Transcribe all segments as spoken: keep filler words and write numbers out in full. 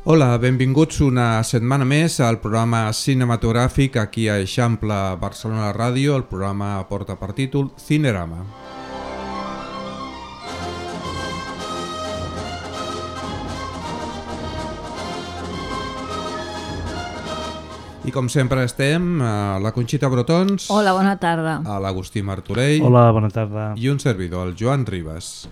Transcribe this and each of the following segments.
Hola, benvinguts una setmana més al programa cinematogràfic aquí a Eixample Barcelona Ràdio. El programa porta per títol Cinerama. I com sempre estem a la Conxita Brotons. Hola, bona tarda. A l'Agustí Martorell. Hola, bona tarda. I un servidor, el Joan Ribas.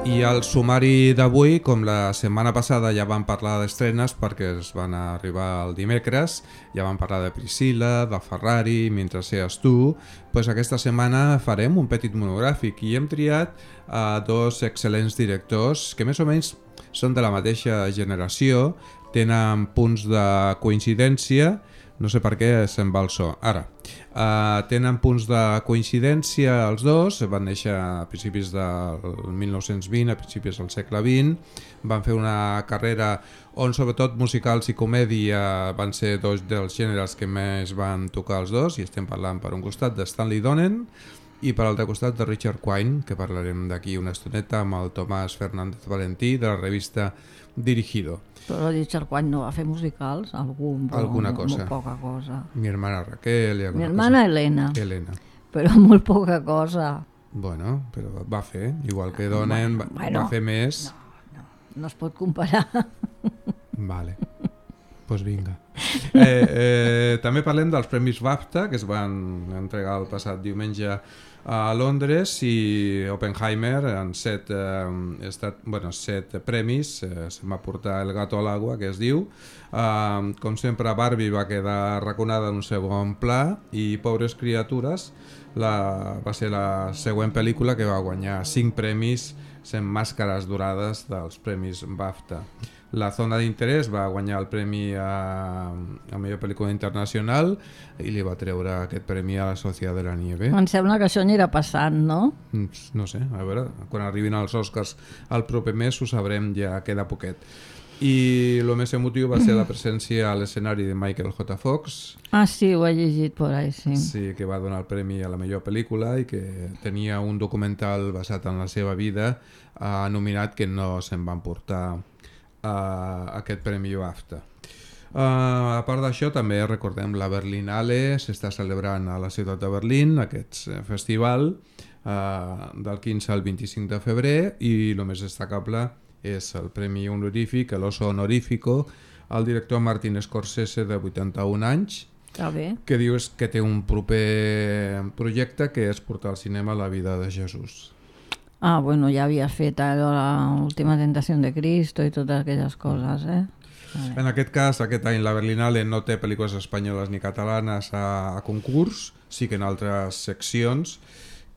I al sumari d'avui, com la setmana passada ja vam parlar d'estrenes perquè es van arribar el dimecres, ja vam parlar de Priscilla, de Ferrari, Mentre seas tu, doncs aquesta setmana farem un petit monogràfic i hem triat a dos excel·lents directors que més o menys són de la mateixa generació, tenen punts de coincidència, no sé per què se'n va el so. Ara, uh, tenen punts de coincidència els dos, van néixer a principis del mil nou-cents vint, a principis del segle vint, van fer una carrera on sobretot musicals i comèdia van ser dos dels gèneres que més van tocar els dos, i estem parlant per un costat de Stanley Donen i per l'altre costat de Richard Quine, que parlarem d'aquí una estoneta amb el Tomàs Fernández Valentí de la revista Dirigido. Però Richard Quine no va fer musicals? Algun, Alguna molt, cosa. Molt poca cosa. Mi hermana Raquel... I Mi hermana cosa. Elena. Elena. Però molt poca cosa. Bueno, però va fer, igual que Donen, va, bueno, va fer més... No, no, no es pot comparar. Vale, doncs pues vinga. Eh, eh, també parlem dels Premis BAFTA, que es van entregar el passat diumenge a Londres, i Oppenheimer en set, eh, estat, bueno, set premis, eh, se'n va portar El gato al agua, que es diu. Eh, com sempre, Barbie va quedar arraconada en un segon pla i Pobres criatures la, va ser la següent pel·lícula que va guanyar cinc premis sent màscares dorades dels Premis BAFTA. La zona d'interès va guanyar el premi a, a millor pel·lícula internacional i li va treure aquest premi a La Sociedad de la Nieve. Em sembla que això anirà passant, no? No sé, a veure, quan arribin els Oscars el proper mes ho sabrem, ja queda poquet. I el més emotiu va ser la presència a l'escenari de Michael J. Fox. Ah, sí, ho he llegit por ahí, sí. Sí, que va donar el premi a la millor pel·lícula i que tenia un documental basat en la seva vida eh, nominat que no se'n van portar a aquest premi BAFTA. Uh, a part d'això, també recordem la Berlinale, s'està celebrant a la ciutat de Berlín aquest festival uh, del quinze al vint-i-cinc de febrer, i el més destacable és el premi honorífic, l'Oso Honorífico, al director Martin Scorsese, de vuitanta-un anys, Està bé. que diu que té un proper projecte que és portar al cinema la vida de Jesús. Ah, bueno, ja havia fet l'última tentació de Cristo i totes aquelles coses, eh? Vale. En aquest cas, aquest any la Berlinale no té pel·lícules espanyoles ni catalanes a, a concurs, sí que en altres seccions.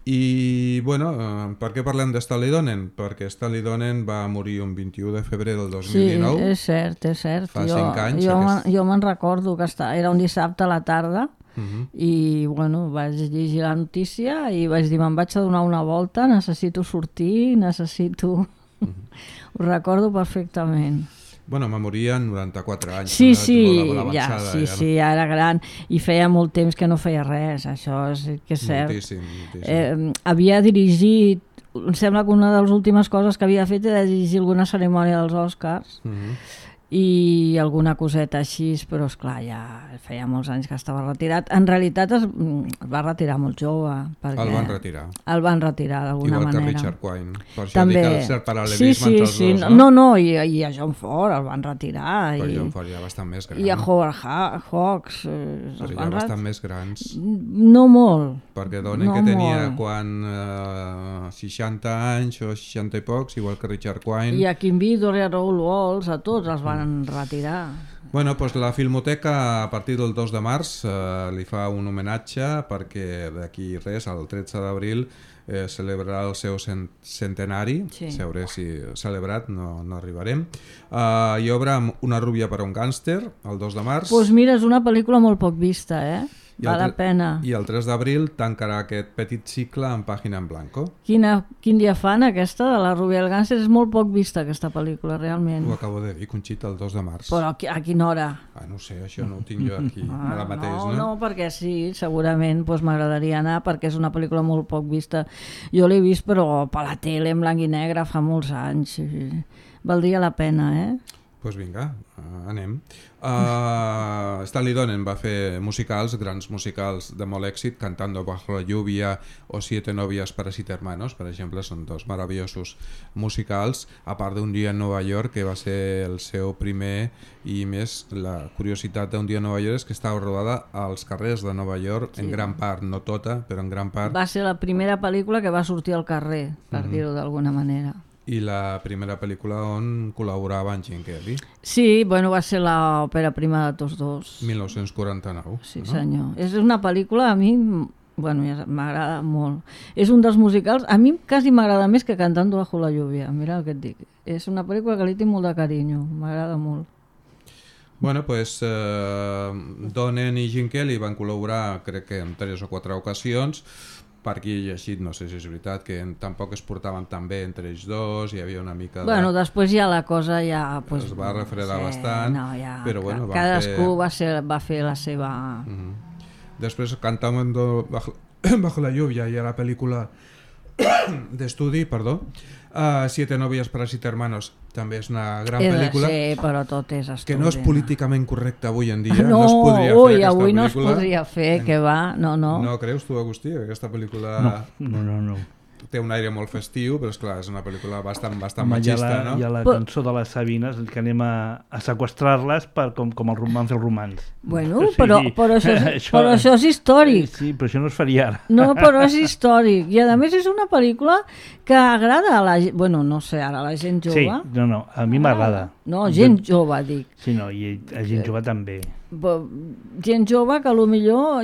I, bueno, eh, per què parlem de Stanley Donen? Perquè Stanley Donen va morir un vint-i-u de febrer del dos mil dinou. Sí, és cert, és cert. Fa jo, cinc anys. Jo, Aquest... jo me'n recordo que està, era un dissabte a la tarda. Uh-huh. I bueno, vaig llegir la notícia i vaig dir, me'n vaig a donar una volta, necessito sortir, necessito... Uh-huh. Ho recordo perfectament. Bueno, me moria en noranta-quatre anys. Sí, sí, molt ja, sí, ja, sí, ja era gran i feia molt temps que no feia res, això és que és cert. Moltíssim, moltíssim. Eh, havia dirigit, em sembla que una de les últimes coses que havia fet era dirigir alguna cerimònia dels Oscars. Uh-huh. I alguna coseta així, però esclar, ja feia molts anys que estava retirat. En realitat es, es va retirar molt jove. El van retirar. El van retirar d'alguna manera. Igual que manera. Richard Quine. Per això També. dic el cert paral·lelisme sí, sí, entre els sí. dos, no? No, no, i, i a John Ford el van retirar. Però i, John Ford ja bastant més gran. I a Howard Hawks. Eh, però ja bastant més grans. No molt. Perquè Donen no que tenia molt. quan eh, seixanta anys o seixanta i pocs, igual que Richard Quine. I a Kim Vidor i a Raoul Walsh, a tots els van retirar. Bueno, doncs la Filmoteca a partir del dos de març eh, li fa un homenatge perquè d'aquí res, el tretze d'abril, eh, celebrarà el seu cent centenari, sí. Sabré si celebrat, no, no arribarem. Uh, hi obre Una rúbia per a un gàngster, el dos de març. Doncs pues mira, és una pel·lícula molt poc vista, eh? I Val la el, pena. I el tres d'abril tancarà aquest petit cicle en pàgina en blanco. Quina, quin dia fan aquesta de la Rubia del Gàngster? És molt poc vista aquesta pel·lícula, realment. Ho acabo de dir, Conxita, el dos de març. Però a, a quina hora? Ah, no sé, això no ho tinc jo aquí ah, ara mateix, no? No, no, perquè sí, segurament doncs, m'agradaria anar perquè és una pel·lícula molt poc vista. Jo l'he vist però per la tele en blanc i negre fa molts anys. I valdria la pena, eh? Doncs pues vinga, uh, anem. Uh, Stanley Donen va fer musicals, grans musicals de molt èxit, Cantando bajo la lluvia o Siete novias para siete hermanos, per exemple, són dos meravellosos musicals, a part d'Un dia en Nova York, que va ser el seu primer, i més la curiositat d'Un dia en Nova York és que estava rodada als carrers de Nova York, sí. En gran part, no tota, però en gran part. Va ser la primera pel·lícula que va sortir al carrer, per mm-hmm. dir-ho d'alguna manera. I la primera pel·lícula on col·laborava en Gene Kelly. Sí, bueno, va ser l'òpera prima de tots dos. mil nou-cents quaranta-nou. Sí, no? senyor. És una pel·lícula, a mi, bueno, ja m'agrada molt. És un dels musicals, a mi quasi m'agrada més que Cantando bajo la lluvia, mira el que et dic. És una pel·lícula que li tinc molt de carinyo, m'agrada molt. Bueno, pues eh, Donen i Gene Kelly van col·laborar, crec que en tres o quatre ocasions. Per aquí he llegit, no sé si és veritat, que tampoc es portaven tan bé entre ells dos, hi havia una mica de... Bueno, després ja la cosa ja... Pues, es va refredar sí, bastant, no, ja, però bueno... Van cadascú fer... va, ser, va fer la seva... Uh-huh. Després Cantando bajo, bajo la lluvia i a la pel·lícula d'estudi, perdó, uh, Siete novias para siete hermanos, també és una gran és, pel·lícula, sí, però tot és estudi, que no és políticament correcta avui en dia, no, no es podria ui, fer aquesta avui pel·lícula. No es podria fer, que va, no, no. No creus tu, Agustí, que aquesta pel·lícula... No, no, no. no. Té un aire molt festiu, però és clar, és una pel·lícula bastant, bastant Home, machista, hi ha la, no? Hi ha la però... cançó de les Sabines, que anem a, a seqüestrar-les per, com, com els van fer els romans. Bueno, o sigui, però, però, això és, això, però això és històric. Sí, però això no es faria ara. No, però és històric. I a més és una pel·lícula que agrada a la gent, bueno, no sé, ara a la gent jove. Sí, no, no, a mi m'agrada. No, gent jove, dic. Sí, no, i a gent jove també. Gent jove que potser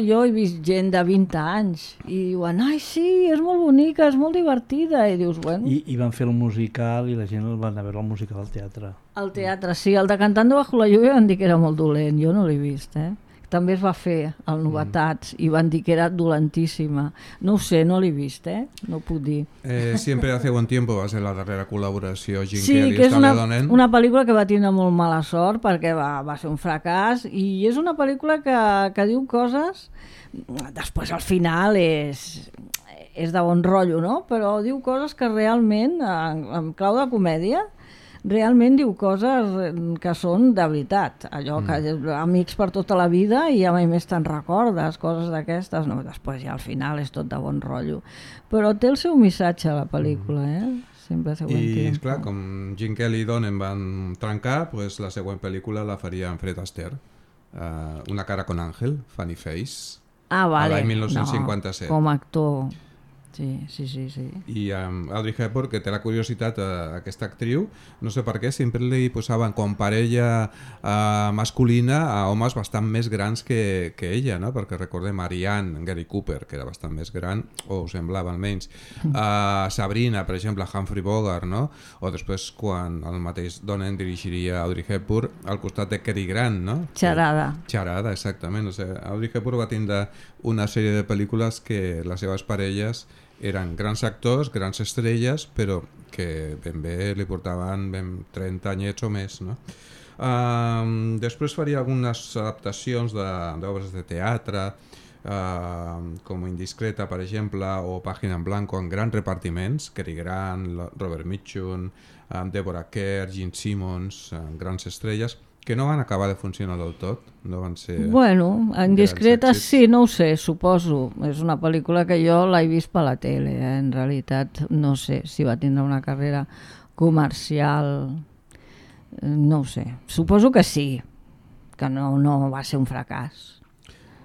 jo he vist gent de vint anys i diuen, ai sí, és molt bonica, és molt divertida, i dius, bueno... I, i van fer el musical i la gent el van a veure el musical al teatre. Al teatre, sí, el de Cantando bajo la lluvia van dir que era molt dolent, jo no l'he vist, eh? També es va fer al Novetats mm. i van dir que era dolentíssima. No ho sé, no l'he vist, eh? No puc dir. Eh, Siempre hace buen tiempo va ser la darrera col·laboració Gene sí, Kelly que és una, Donen. una pel·lícula que va tindre molt mala sort perquè va, va ser un fracàs i és una pel·lícula que, que diu coses... Després al final és, és de bon rotllo, no? Però diu coses que realment, en, en clau de comèdia, realment diu coses que són de veritat, allò que mm. amics per tota la vida i ja mai més te'n recordes, coses d'aquestes, no, després ja al final és tot de bon rotllo, però té el seu missatge a la pel·lícula, eh? Sempre se ho I entén. clar, com Gene Kelly i Donen van trencar, pues la següent pel·lícula la faria en Fred Astaire, uh, Una cara con Ángel, Funny Face, ah, vale. a l'any mil nou-cents cinquanta-set. No, com a actor. Sí, sí, sí, sí. I um, Audrey Hepburn, que té la curiositat a uh, aquesta actriu, no sé per què, sempre li posaven com parella uh, masculina a homes bastant més grans que, que ella, no? Perquè recordem Ariane, Gary Cooper, que era bastant més gran, o ho semblava almenys, uh, Sabrina, per exemple, Humphrey Bogart, no? O després quan el mateix Donen dirigiria Audrey Hepburn al costat de Cary Grant, no? Xarada. Xarada, exactament. O sigui, Audrey Hepburn va tindre una sèrie de pel·lícules que les seves parelles eren grans actors, grans estrelles, però que ben bé li portaven ben trenta anyets o més, no? Uh, després faria algunes adaptacions d'obres de, de teatre, uh, com Indiscreta, per exemple, o Pàgina en Blanco, en grans repartiments, Cary Grant, Robert Mitchum, um, Deborah Kerr, Gene Simmons, uh, grans estrelles, que no van acabar de funcionar del tot, no van ser... Bueno, Indiscreta sí, no ho sé, suposo. És una pel·lícula que jo l'he vist per la tele, eh? En realitat no sé si va tindre una carrera comercial, no ho sé. Suposo que sí, que no, no va ser un fracàs.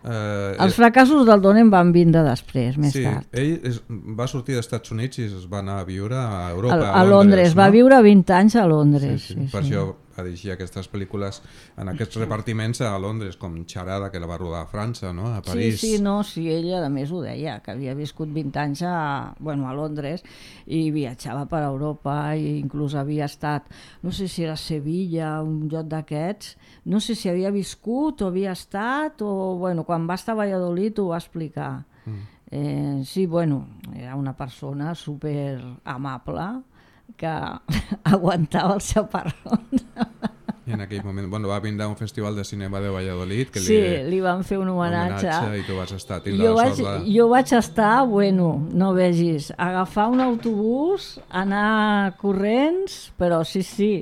Uh, Els fracassos del Donen van vindre després, més sí, tard. Ell és, va sortir dels Estats Units i es va anar a viure a Europa, a, a, a Londres, Londres, no? Va viure vint anys a Londres. Sí, sí. Sí, Per sí. això va dirigir aquestes pel·lícules en aquests repartiments a Londres, com Charada, que la va rodar a França, no? A París. Sí, sí, no, sí, ella a més ho deia, que havia viscut vint anys a, bueno, a Londres i viatjava per Europa i inclús havia estat, no sé si era Sevilla, un lloc d'aquests, no sé si havia viscut o havia estat, o bueno, quan va estar a Valladolid ho va explicar. Mm. Eh, sí, bueno, era una persona super amable que aguantava els xaparrons. I en aquell moment, bueno, va vindre a un festival de cinema de Valladolid que sí, li, li van fer un homenatge, homenatge i tu vas estar. Jo vaig, de... jo vaig estar, bueno, no vegis, agafar un autobús, anar corrents, però sí, sí,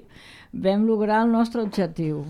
vam lograr el nostre objectiu.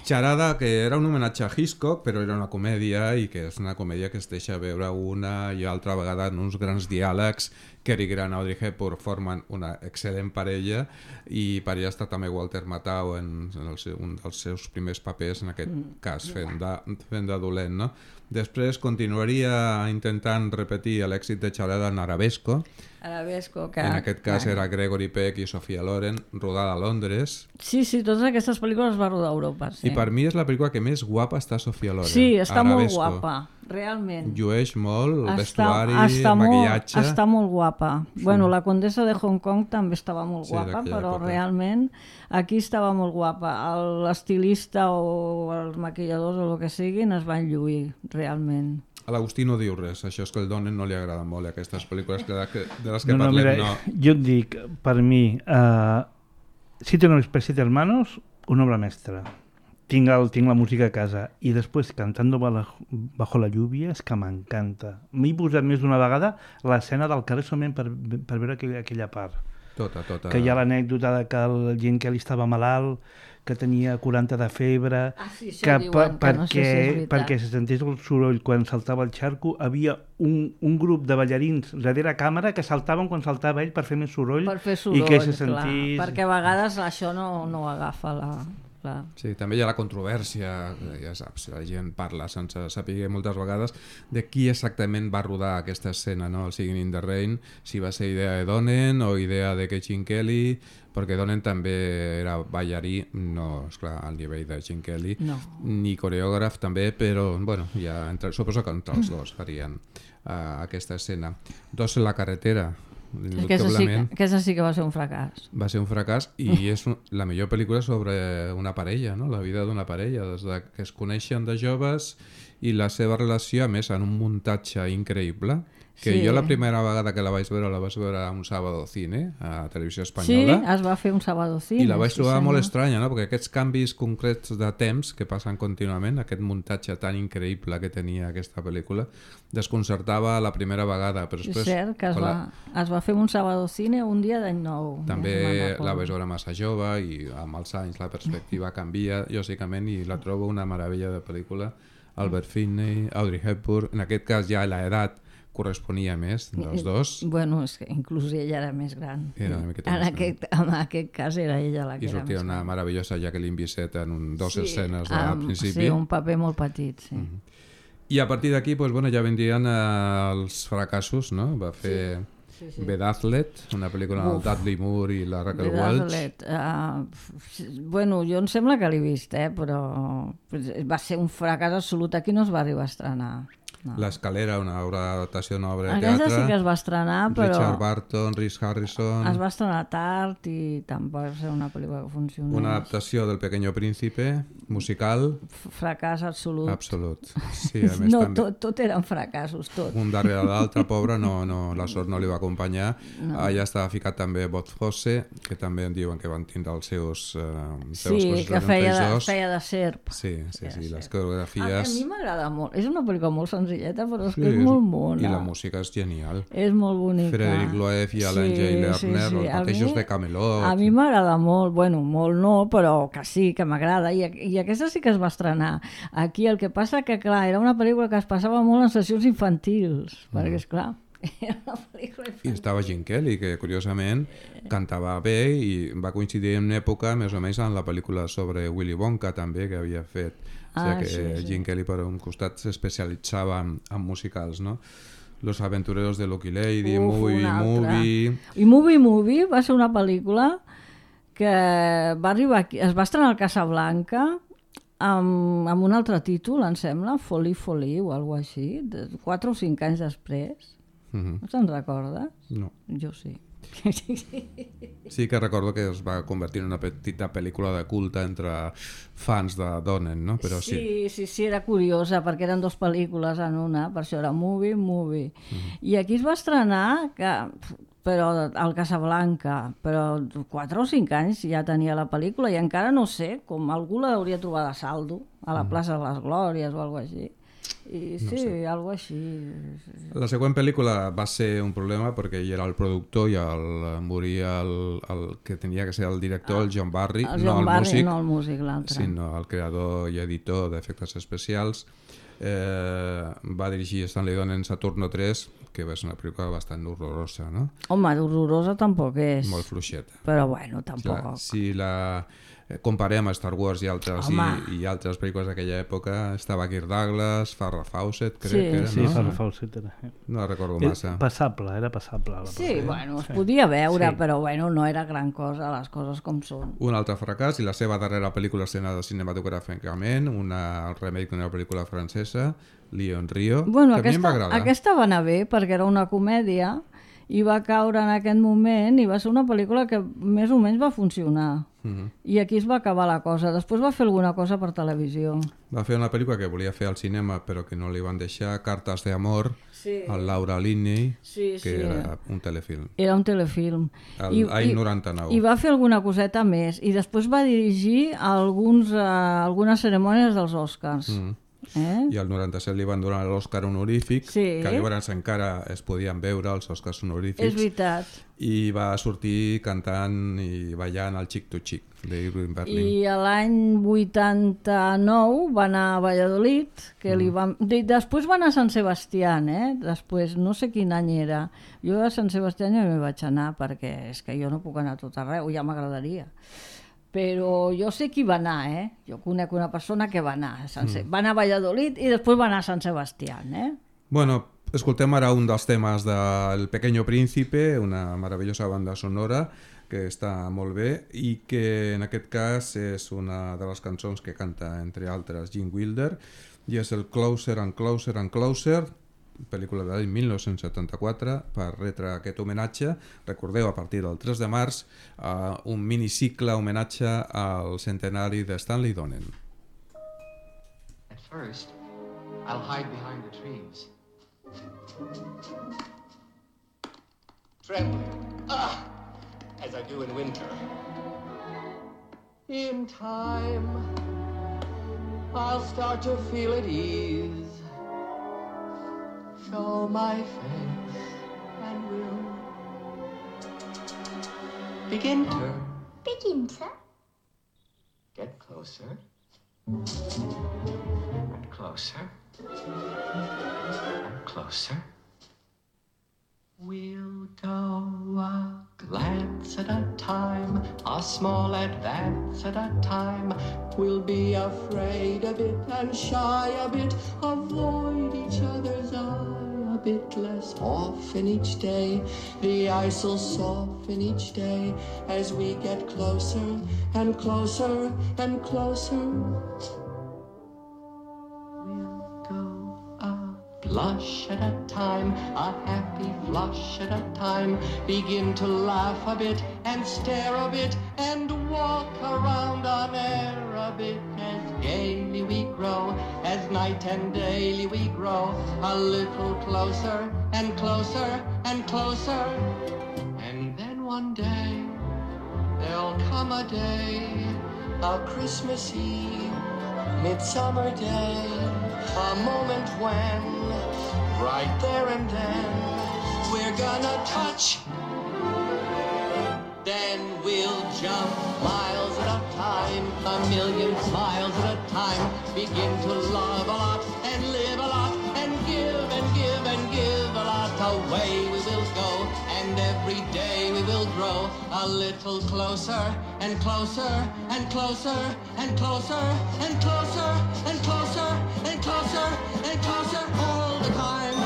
Charada, que era un homenatge a Hitchcock, però era una comèdia i que és una comèdia que es deixa veure una i altra vegada en uns grans diàlegs. Cary Grant i Audrey Hepburn formen una excel·lent parella i per allà està també Walter Matthau en, en el seu, un dels seus primers papers, en aquest cas fent de, fent de dolent, no? Després continuaria intentant repetir l'èxit de Charada en Arabesco. Arabesco, que... En aquest cas era Gregory Peck i Sophia Loren, rodada a Londres. Sí, sí, totes aquestes pel·lícules es va rodar a Europa. Sí. I per mi és la pel·lícula que més guapa està Sophia Loren. Sí, està Arabesco. Molt guapa, realment. Llueix molt, el està, vestuari, està el maquillatge... Molt, està molt guapa. Sí. Bueno, la condessa de Hong Kong també estava molt sí, guapa, però època. Realment aquí estava molt guapa. L'estilista o els maquilladors o el que siguin es van lluir, realment. A l'Agustí no diu res, això és que el Donen no li agrada molt aquestes pel·lícules que, de les que no, no, parlem. Mira, no. Jo et dic, per mi, uh, Siete hombres per siete hermanos, una obra mestra. Tinc, el, tinc la música a casa i després Cantando bajo la lluvia és que m'encanta. M'he posat més d'una vegada l'escena del carrer solament per, per veure aquella, aquella part. Tota, tota. Que hi ha l'anècdota de que el Gene Kelly estava malalt, que tenia quaranta de febre, ah, sí, que, diuen, per, que no perquè, sé si perquè se sentés el soroll quan saltava el xarco, havia un, un grup de ballarins darrere càmera que saltaven quan saltava ell per fer més soroll, per fer soroll i que se sentís... Clar, perquè a vegades això no, no agafa la... Clar. Sí, també hi ha la controvèrsia, ja saps, la gent parla sense saber moltes vegades de qui exactament va rodar aquesta escena, no? El Singing in the Rain, si va ser idea de Donen o idea de Gene Kelly, perquè Donen també era ballarí, no, esclar, al nivell de Gene Kelly, no. Ni coreògraf també, però bueno, ja entre, suposo que entre els dos farien uh, aquesta escena. Dos en la carretera, Aquesta sí, aquesta sí que va ser un fracàs. Va ser un fracàs i és un, la millor pel·lícula sobre una parella, no? La vida d'una parella, des de que es coneixen de joves i la seva relació, a més, en un muntatge increïble, que sí. Jo la primera vegada que la vaig veure la vaig veure a un Sábado Cine a Televisió Espanyola. Sí, es va fer un Sábado Cine. I la vaig trobar sí, molt estranya, no? Perquè aquests canvis concrets de temps que passen contínuament, aquest muntatge tan increïble que tenia aquesta pel·lícula, desconcertava la primera vegada. Però després, és cert que es va, la... es va fer un Sábado Cine un dia d'any nou. També ja la vaig veure massa jove i amb els anys la perspectiva canvia, lògicament, i la trobo una meravella de pel·lícula. Albert Finney, Audrey Hepburn, en aquest cas ja l'edat corresponia més dels dos. Bueno, és que inclús ella era més gran. Era una miqueta en, més aquest, en aquest cas era ella la que I era sortia més una gran. meravellosa Jacqueline Bisset en un, dos sí, escenes al um, principi. Sí, un paper molt petit, sí. Mm-hmm. I a partir d'aquí pues, bueno, ja vendrien eh, els fracassos, no? Va fer sí, sí, sí. Bedazzled, una pel·lícula amb Dudley Moore i la Raquel Welch. Uh, bueno, jo em sembla que l'he vist, eh, però va ser un fracàs absolut. Aquí no es va arribar a estrenar. No. L'Escalera, una obra d'adaptació d'una obra de Aquesta teatre. sí que es va estrenar, però... Richard Barton, Rhys Harrison... Es va estrenar tard i tampoc va ser una pel·lícula que funcionés. Una adaptació del Pequeño Príncipe, musical... Fracàs absolut. Absolut. Sí, a més, no, també... tot, tot eren fracassos, tot. Un darrere l'altre, pobre, no, no, la sort no li va acompanyar. No. Allà estava ficat també Bob Fosse, que també en diuen que van tindre els seus... Eh, sí, que feia de, feia de serp. Sí, sí, sí, sí, les coreografies... A, a mi m'agrada molt. És una pel·lícula molt senzilleta, però és sí, que és molt mona. I la música és genial. És molt bonica. Frederic Loeff i Alan sí, J. Lerner, sí, sí. Els mateixos de Camelot. A mi m'agrada molt, bueno, molt no, però que sí, que m'agrada. I, I aquesta sí que es va estrenar. Aquí el que passa que, clar, era una pel·lícula que es passava molt en sessions infantils, mm. perquè, esclar, era una pel·lícula infantil. I estava Gene Kelly, que curiosament cantava bé i va coincidir en una època més o menys en la pel·lícula sobre Willy Wonka també, que havia fet. O sigui ah, que sí, sí. Gene Kelly per un costat s'especialitzava en, en musicals, no? Los aventureros de Lucky Lady, Uf, Movie Movie... I Movie Movie va ser una pel·lícula que va arribar aquí, es va estrenar al Casablanca amb, amb un altre títol, em sembla, Folie Folie o alguna cosa així, de quatre o cinc anys després. Mm-hmm. No te'n recordes? No. Jo sí. Sí que recordo que es va convertir en una petita pel·lícula de culte entre fans de Donen, no? Però sí. Sí, sí, sí, era curiosa perquè eren dues pel·lícules en una, per això era movie, movie. Mm-hmm. I aquí es va estrenar, que, però al Casablanca, però quatre o cinc anys ja tenia la pel·lícula i encara no sé, com algú l'hauria trobat a saldo, a la plaça de les Glòries o alguna cosa així. I sí, no sé. Algo així. La següent pel·lícula va ser un problema perquè ell era el productor i el, moria el, el que tenia que ser el director, el John Barry, el no John el Barry, músic, no el músic, l'altre. Sinó el creador i editor d'efectes especials. Eh, va dirigir Stanley Donen Saturno tres, que va ser una pel·lícula bastant horrorosa, no? Home, horrorosa tampoc és. Molt fluixeta. Però bueno, tampoc. Si la, si la comparem a Star Wars i altres, i, i altres pel·lícules d'aquella època, estava Kirk Douglas, Farrah Fawcett, crec sí, que era, sí, no? Sí, Farrah Fawcett era. No la recordo massa. Passable, era passable. Sí, sí, bueno, es podia veure, sí. Però bueno, no era gran cosa, les coses com són. Un altre fracàs, i la seva darrera pel·lícula estrenada cinematogràficament, una remake d'una pel·lícula francesa, Lion Rio, bueno, que aquesta, a mi em va agradar. Aquesta va anar bé perquè era una comèdia i va caure en aquest moment i va ser una pel·lícula que més o menys va funcionar. Uh-huh. I aquí es va acabar la cosa. Després va fer alguna cosa per televisió. Va fer una pel·lícula que volia fer al cinema però que no li van deixar, Cartes de amor, sí. Al Laura Linney, sí, que sí. era un telefilm. Era un telefilm. El any noranta-nou. I va fer alguna coseta més. I després va dirigir alguns, uh, algunes cerimònies dels Oscars. Mm. Eh? I al noranta-set li van donar l'Oscar honorífic, sí. que llavors encara es podien veure els Oscars honorífics. És veritat. I va sortir cantant i ballant al Chick to Chick d'Irving Berlin. I l'any vuitanta-nou va anar a Valladolid, que mm. li van... després va anar a Sant Sebastián, eh? Després, no sé quin any era. Jo a Sant Sebastián ja m'hi vaig anar, perquè és que jo no puc anar a tot arreu, ja m'agradaria. Però jo sé qui va anar, eh? Jo conec una persona que va anar a Sant Se... mm. va anar a Valladolid i després va anar a Sant Sebastián, eh? Bueno, escoltem ara un dels temes del Pequeño Príncipe, una meravellosa banda sonora que està molt bé i que en aquest cas és una de les cançons que canta, entre altres, Gene Wilder, i és el Closer and Closer and Closer, pel·lícula de l'any mil nou-cents setanta-quatre, per retre aquest homenatge. Recordeu, a partir del tres de març, uh, un minicicle homenatge al centenari de Stanley Donen. At first, I'll hide behind the trees. Trembling, ah, as I do in winter. In time, I'll start to feel at ease. Show my face and we'll begin to begin to get closer and closer and closer. We'll go a glance at a time, a small advance at a time. We'll be afraid a bit and shy a bit, avoid each other's eye a bit less often each day. The ice'll soften each day as we get closer and closer and closer. Blush at a time, a happy flush at a time. Begin to laugh a bit and stare a bit and walk around on air a bit as gaily we grow, as night and daily we grow a little closer and closer and closer. And then one day there'll come a day, a Christmas Eve, Midsummer Day, a moment when right there and then we're gonna touch, then we'll jump miles at a time, a million miles at a time, begin to love a lot and live a lot and give and give and give a lot. Away we will go and every day we will grow a little closer and closer and closer and closer and closer and closer and closer and closer all the time.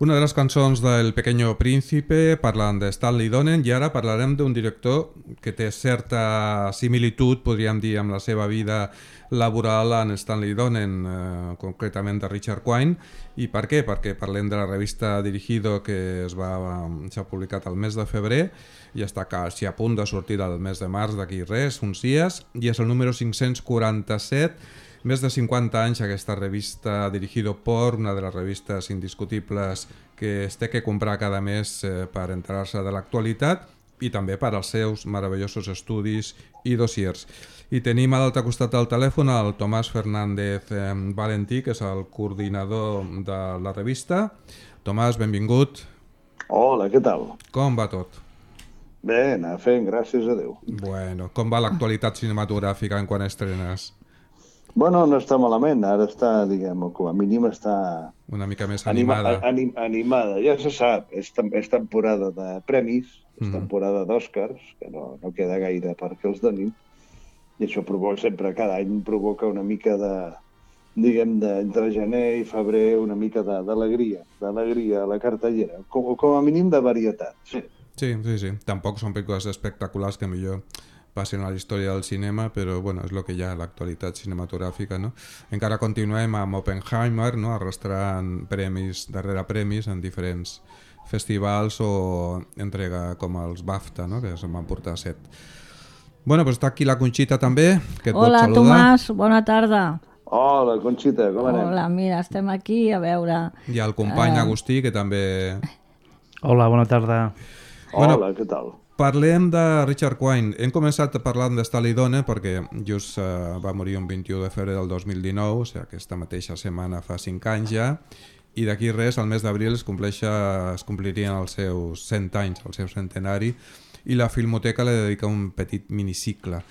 Una de les cançons del Pequeño Príncipe parlant de Stanley Donen, i ara parlarem d'un director que té certa similitud, podríem dir, amb la seva vida laboral en Stanley Donen, eh, concretament de Richard Quine. I per què? Perquè parlem de la revista Dirigido, que es va s'ha publicat al mes de febrer i està quasi a punt de sortir al mes de març, d'aquí res, uns dies, i és el número cinc-cents quaranta-set. Més de cinquanta anys aquesta revista Dirigido por, una de les revistes indiscutibles que es té que comprar cada mes eh, per enterar-se de l'actualitat i també per als seus meravellosos estudis i dossiers. I tenim a l'altre costat del telèfon el Tomàs Fernández eh, Valentí, que és el coordinador de la revista. Tomàs, benvingut. Hola, què tal? Com va tot? Bé, anar fent, gràcies a Déu. Bueno, com va l'actualitat cinematogràfica en quan estrenes? Bueno, no està malament, ara està, diguem, com a mínim està... Una mica més animada. Anima, anim, animada, ja se sap, és, és temporada de premis, és Mm. temporada d'Oscars, que no, no queda gaire perquè els donin, i això provoca, sempre, cada any provoca una mica de, diguem, de, entre gener i febrer, una mica de- d'alegria, d'alegria a la cartellera, com, com a mínim de varietat, sí. Sí, sí, sí. Tampoc són pel·lícules espectaculars que millor passen a la història del cinema, però bueno, és el que hi ha, l'actualitat cinematogràfica, no? Encara continuem amb Oppenheimer, no? Arrastrant premis darrere premis en diferents festivals o entrega com els BAFTA, no? Que se'n van portar set. Bueno, doncs està aquí la Conxita també, que et vol Hola, saludar. Tomàs, bona tarda. Hola, Conxita, com anem? Hola, mira, estem aquí a veure... I el company Eh. Agustí, que també... Hola, bona tarda. Hola, Bueno, què tal? Parlem de Richard Quine. Hem començat parlant de Stanley Donen perquè just eh, va morir un vint-i-u de febrer del dos mil dinou, o sigui, aquesta mateixa setmana fa cinc anys ja, i d'aquí res, al mes d'abril es, compleixa- es complirien els seus cent anys, el seu centenari, i la Filmoteca li dedica un petit minicicle.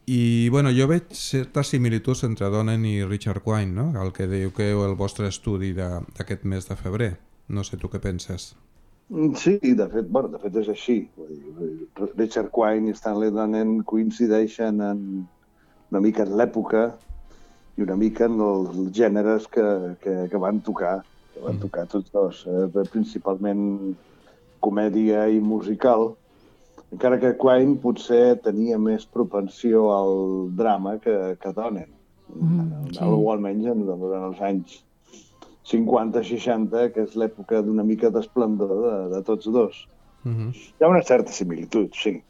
I bueno, jo veig certes similituds entre Donen i Richard Quine, no? El que diu que el vostre estudi de- d'aquest mes de febrer. No sé tu què penses. Sí, de fet, bueno, de fet és així. Vull dir, Richard Quine i Stanley Donen coincideixen en una mica en l'època i una mica en els gèneres que, que, que van tocar, que van tocar tots dos, eh, principalment comèdia i musical, encara que Quine potser tenia més propensió al drama que, que Donen, Mm, sí. o almenys en- durant els anys cinquanta seixanta, que és l'època d'una mica d'esplendor de, de tots dos. Uh -huh. Hi ha una certa similitud, sí.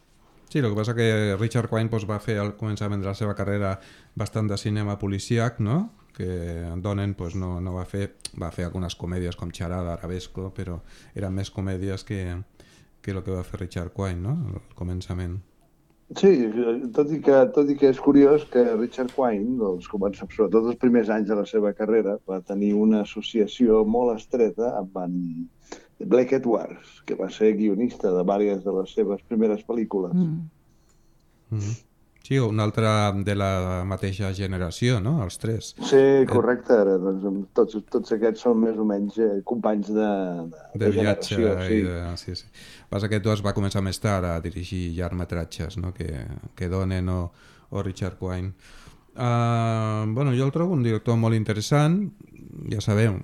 Sí, el que passa que Richard Quine doncs, va fer al començament de la seva carrera bastant de cinema policíac, no? Que Donen doncs, no, no va fer, va fer algunes comèdies com Charada, Arabesco, però eren més comèdies que, que el que va fer Richard Quine, no? Al començament. Sí, tot i que, tot i que és curiós que Richard Quine, doncs, comença, sobretot els primers anys de la seva carrera, va tenir una associació molt estreta amb en Blake Edwards, que va ser guionista de diverses de les seves primeres pel·lícules. Mm. Mm-hmm. Sí, un altre de la mateixa generació, no? Els tres. Sí, correcte. Ara, doncs, tots, tots aquests són més o menys eh, companys de, de, De viatge. generació. I de... Sí, sí. Passa que tu es va començar més tard a dirigir llargmetratges, no? Que, que Donen o, o Richard Quine. Uh, bueno, jo el trobo un director molt interessant. Ja sabeu,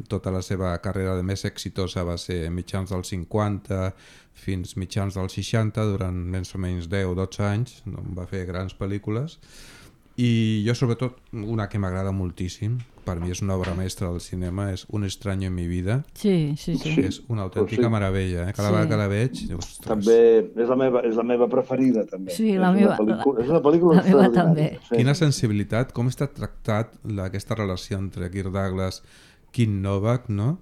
tota la seva carrera de més exitosa va ser mitjans dels cinquanta fins mitjans dels seixanta, durant més o menys deu o dotze anys, no? Va fer grans pel·lícules. I jo, sobretot, una que m'agrada moltíssim, per mi és una obra mestra del cinema, és Un extraño en mi vida. Sí, sí, sí. Sí. És una autèntica Sí. meravella, eh? Cada Sí. vegada que la veig, ostres. També és la meva, és la meva preferida, també. Sí, la és meva- Una pel·lícula, és una pel·lícula la meva extraordinària. també. Sí. Quina sensibilitat, com està tractat la, aquesta relació entre Kirk Douglas i Kim Novak, no?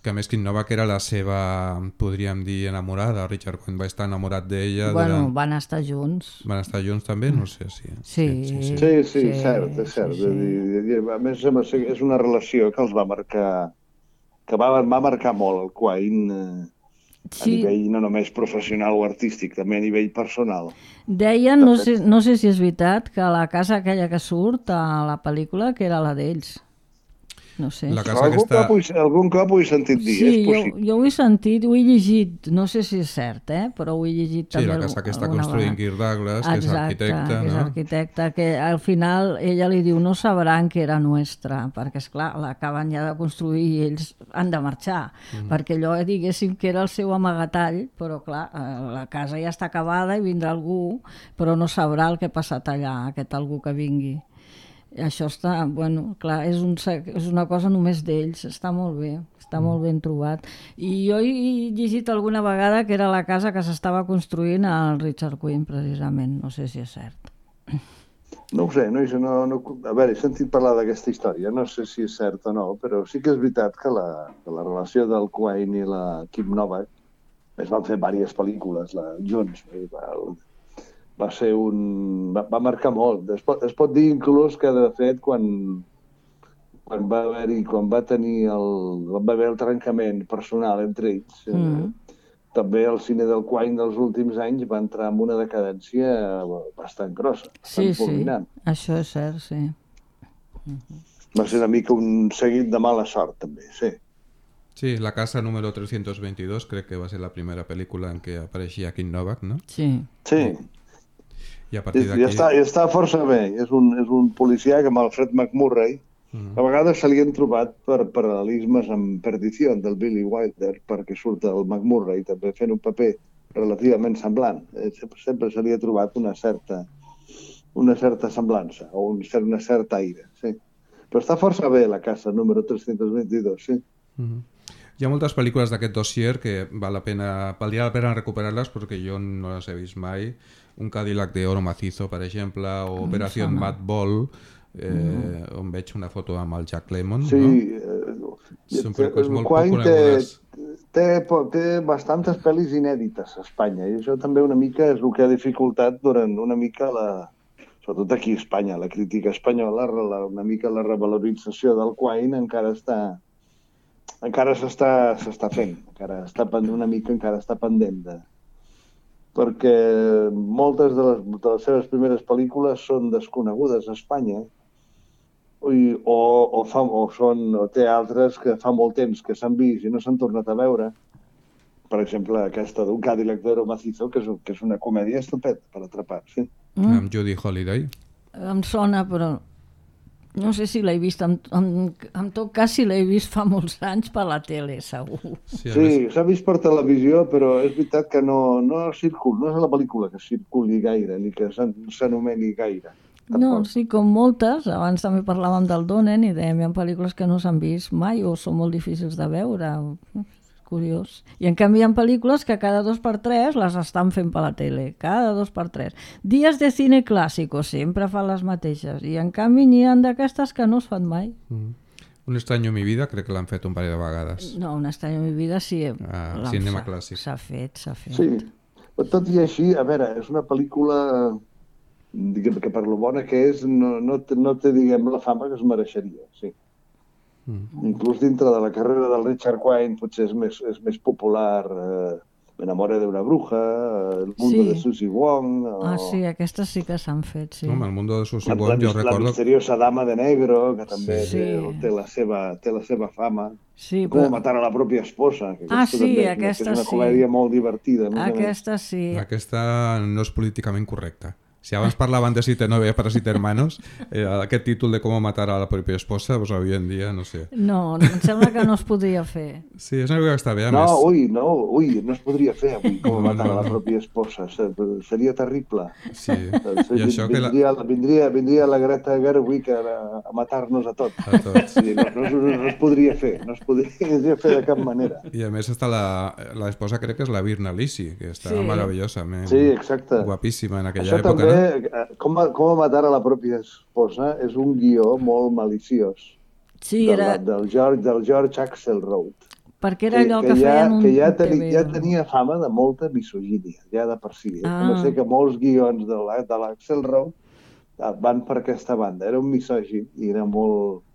Que a més Kim Novak era la seva, podríem dir, enamorada. Richard Quine va estar enamorat d'ella. Bueno, durant... van estar junts. Van estar junts també? No sé si... Sí. Sí, sí, Sí, cert, és cert. sí, Sí, sí. A més, és una relació que els va marcar, que va, va marcar molt el Quine eh, a Sí, nivell no només professional o artístic, també a nivell personal. deien, no sé, no sé si és veritat, que la casa aquella que surt a la pel·lícula, que era la d'ells. no sé. La casa algun, aquesta... cop ho he, algun cop ho he sentit dir, Sí, és jo, possible. jo ho he sentit, ho he llegit, no sé si és cert, eh? Però ho he llegit Sí, també la casa que està alguna construint vegada. Kirk Douglas, que és Exacte, arquitecte, que és no? arquitecte, que al final ella li diu no sabran que era nostra, perquè esclar, l'acaben ja de construir i ells han de marxar, mm. perquè allò diguéssim que era el seu amagatall, però clar, la casa ja està acabada i vindrà algú, però no sabrà el que ha passat allà, aquest algú que vingui. I això està, bueno, clar, és, un, és una cosa només d'ells, està molt bé, està mm. molt ben trobat. I jo he llegit alguna vegada que era la casa que s'estava construint al Richard Quinn, precisament, no sé si és cert. No ho sé, no, no, no, a veure, he sentit parlar d'aquesta història, no sé si és cert o no, però sí que és veritat que la, que la relació del Quine i la Kim Novak es van fer diverses pel·lícules la, junts, i va, va ser un... Va, va marcar molt. Es pot, es pot dir inclús que, de fet, quan, quan va haver-hi, quan va tenir el, va haver el trencament personal entre ells, mm. eh, també el cine del Quine dels últims anys va entrar en una decadència bastant grossa. Sí, sí, això és cert, sí. Uh-huh. Va ser una mica un seguit de mala sort, també, sí. Sí, La casa número trescientos veintidós crec que va ser la primera pel·lícula en què apareixia Kim Novak, no? Sí. Sí. I a partir d'aquí... I està, i està força bé. És un, és un policia que amb el Fred McMurray uh-huh. a vegades se li han trobat per paral·lelismes amb Perdició del Billy Wilder, perquè surt el McMurray també fent un paper relativament semblant. Sempre, sempre se li ha trobat una certa, una certa semblança o un, una certa aire, sí. Però està força bé La casa número trescientos veintidós, sí. Uh-huh. Hi ha moltes pel·lícules d'aquest dossier que val la pena, valdria la pena recuperar-les perquè jo no les he vist mai. Un Cadillac de oro macizo, per exemple, o Operació Mad Ball, eh, mm. on veig una foto amb el Jack Lemmon. Sí, no? eh, Són pel·lícules molt poc conegudes. Té, té, té bastantes pel·lis inèdites a Espanya i això també una mica és el que ha dificultat durant una mica la... sobretot aquí a Espanya, la crítica espanyola, la, una mica la revalorització del Quine encara està... encara s'està s'està fent, encara està una mica encara està pendent de... perquè moltes de les, de les seves primeres pel·lícules són desconegudes a Espanya i, o, o, fa, o, són, o té altres que fa molt temps que s'han vist i no s'han tornat a veure. Per exemple, aquesta d'un Cadillac de oro macizo, que és, que és una comèdia estupenda per atrapar, sí. Mm. Amb Judy Holliday. Em sona, però... no sé si l'he vist, en, en, en tot cas si l'he vist fa molts anys per la tele, segur. Sí, sí s'ha vist per televisió, però és veritat que no, no circula, no és la pel·lícula que circuli gaire, ni que s'anomeni gaire. Tampoc. No, sí, com moltes, abans també parlàvem del Donen i dèiem, hi ha pel·lícules que no s'han vist mai o són molt difícils de veure, curiós. I en canvi hi ha pel·lícules que cada dos per tres les estan fent per la tele, cada dos per tres. Dies de cine clàssico, sempre fan les mateixes, i en canvi n'hi ha d'aquestes que no es fan mai. Mm. Un estrany en mi vida crec que l'han fet un parell de vegades. No, Un estrany en mi vida sí. Ah, cinema clàssic. S'ha fet, s'ha fet. Sí, però tot i així, a veure, és una pel·lícula diguem que per lo bona que és no, no, té, no té, diguem, la fama que es mereixeria, sí. Mm. Inclús dintre de la carrera del Richard Quine potser és més, és més popular eh, M'enamore d'una bruja, eh, El mundo sí. de Susie Wong... O... Ah, sí, aquestes sí que s'han fet, sí. Home, El mundo de Susie la, Wong, la, jo recordo... La misteriosa dama de negro, que també sí. té, té, la seva, té la seva fama. Sí, Com però... matar a la pròpia esposa. Que ah, sí, també, aquesta sí. És una comèdia molt divertida. Aquesta sí. Aquesta no és políticament correcta. Si abans parlaven de Siete Novia para Siete Hermanos, eh, aquest títol de Com matar a la pròpia esposa, pues avui en dia, no sé. No, em sembla que no es podria fer. Sí, és una cosa que està bé, a no, més. Ui, no, ui, no es podria fer avui Com no, matar no, no. a la pròpia esposa. Seria terrible. Sí, i això que la... Vindria, vindria, vindria la Greta Gerwig a, a matar-nos a tots. A tots. Sí, no, no, no, no es podria fer, no es podria fer de cap manera. I a més està la, la esposa, crec que és la Virna Lisi, que està sí. meravellosament sí, exacte. guapíssima en aquella això època. També, no? Com, com matar a la pròpia esposa és un guió molt maliciós. Sí, del, era... del, George, del George Axelrod. Perquè era allò que, que, que feien ja, un que ja, T V. tenia, ja tenia fama de molta misogínia, ja de per si. Ah. No sé que molts guions de l'Axelrod van per aquesta banda. Era un misògin i era molt,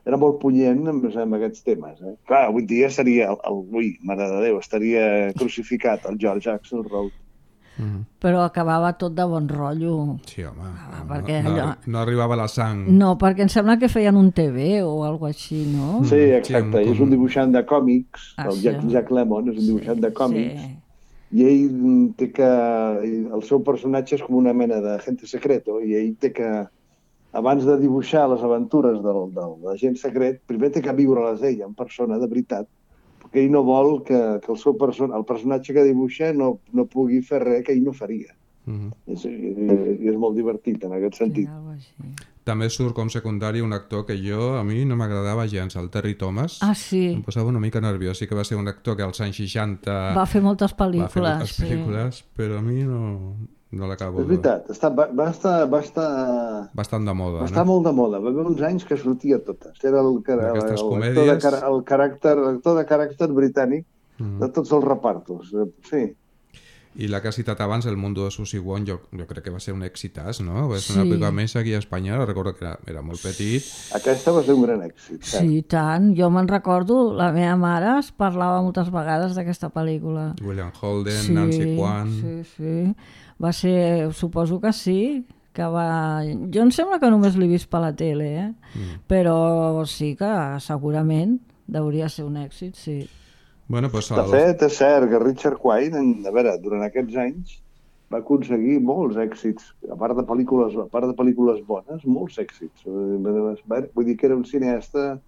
era molt punyent amb, amb aquests temes. Eh? Clar, avui dia seria, el, el, ui, mare de Déu, estaria crucificat el George Axelrod. Mm. però acabava tot de bon rotllo. Sí, home, Ah, no, perquè no, allò- no arribava la sang. No, perquè em sembla que feien un T V o alguna així, no? Sí, exacte, Sí, és un dibuixant de còmics, Ah, el sí. Jack, Jack Lemmon és un dibuixant de còmics, Sí. i ell té que... El seu personatge és com una mena d'agente secreto, i ell té que, abans de dibuixar les aventures del, del agent secret, primer té que viure-les ell en persona, de veritat, perquè ell no vol que, que el seu person el personatge que dibuixa no, no pugui fer res que ell no faria. Mm. És, i és molt divertit en aquest Sí, sentit. algo així. També surt com secundari un actor que jo, a mi no m'agradava gens, el Terry Thomas. Ah, sí. Em posava una mica nerviós. Sí que va ser un actor que als anys seixanta Va fer moltes va pel·lícules. fer moltes sí. pel·lícules, però a mi no, no l'acabo. És veritat, està, va, va, estar, va estar... Bastant de moda, Va estar no? molt de moda, va haver uns anys que sortia a totes. Era el, el, el, D'aquestes el, comèdies. actor, de, car- el, caràcter, l'actor de caràcter britànic Mm. de tots els repartos. Eh, Sí, I la que has citat abans, El mundo de Susie Wong, jo, jo crec que va ser un èxitàs, no? Va ser una Sí. pel·lícula més aquí a Espanya, recordo que era, era molt petit. aquesta va ser un gran èxit. Sí, tant. Jo me'n recordo, la meva mare es parlava moltes vegades d'aquesta pel·lícula. William Holden, Nancy Kwan... Sí, sí. Va ser, suposo que sí, que va... Jo em sembla que només l'he vist per la tele, eh? Mm. Però sí que segurament hauria ser un èxit, sí. Bueno, doncs De el... fet, és cert que Richard Quine, en, a veure, durant aquests anys, va aconseguir molts èxits, a part de pel·lícules, a part de pel·lícules bones, molts èxits. Eh, Vull dir que era un cineasta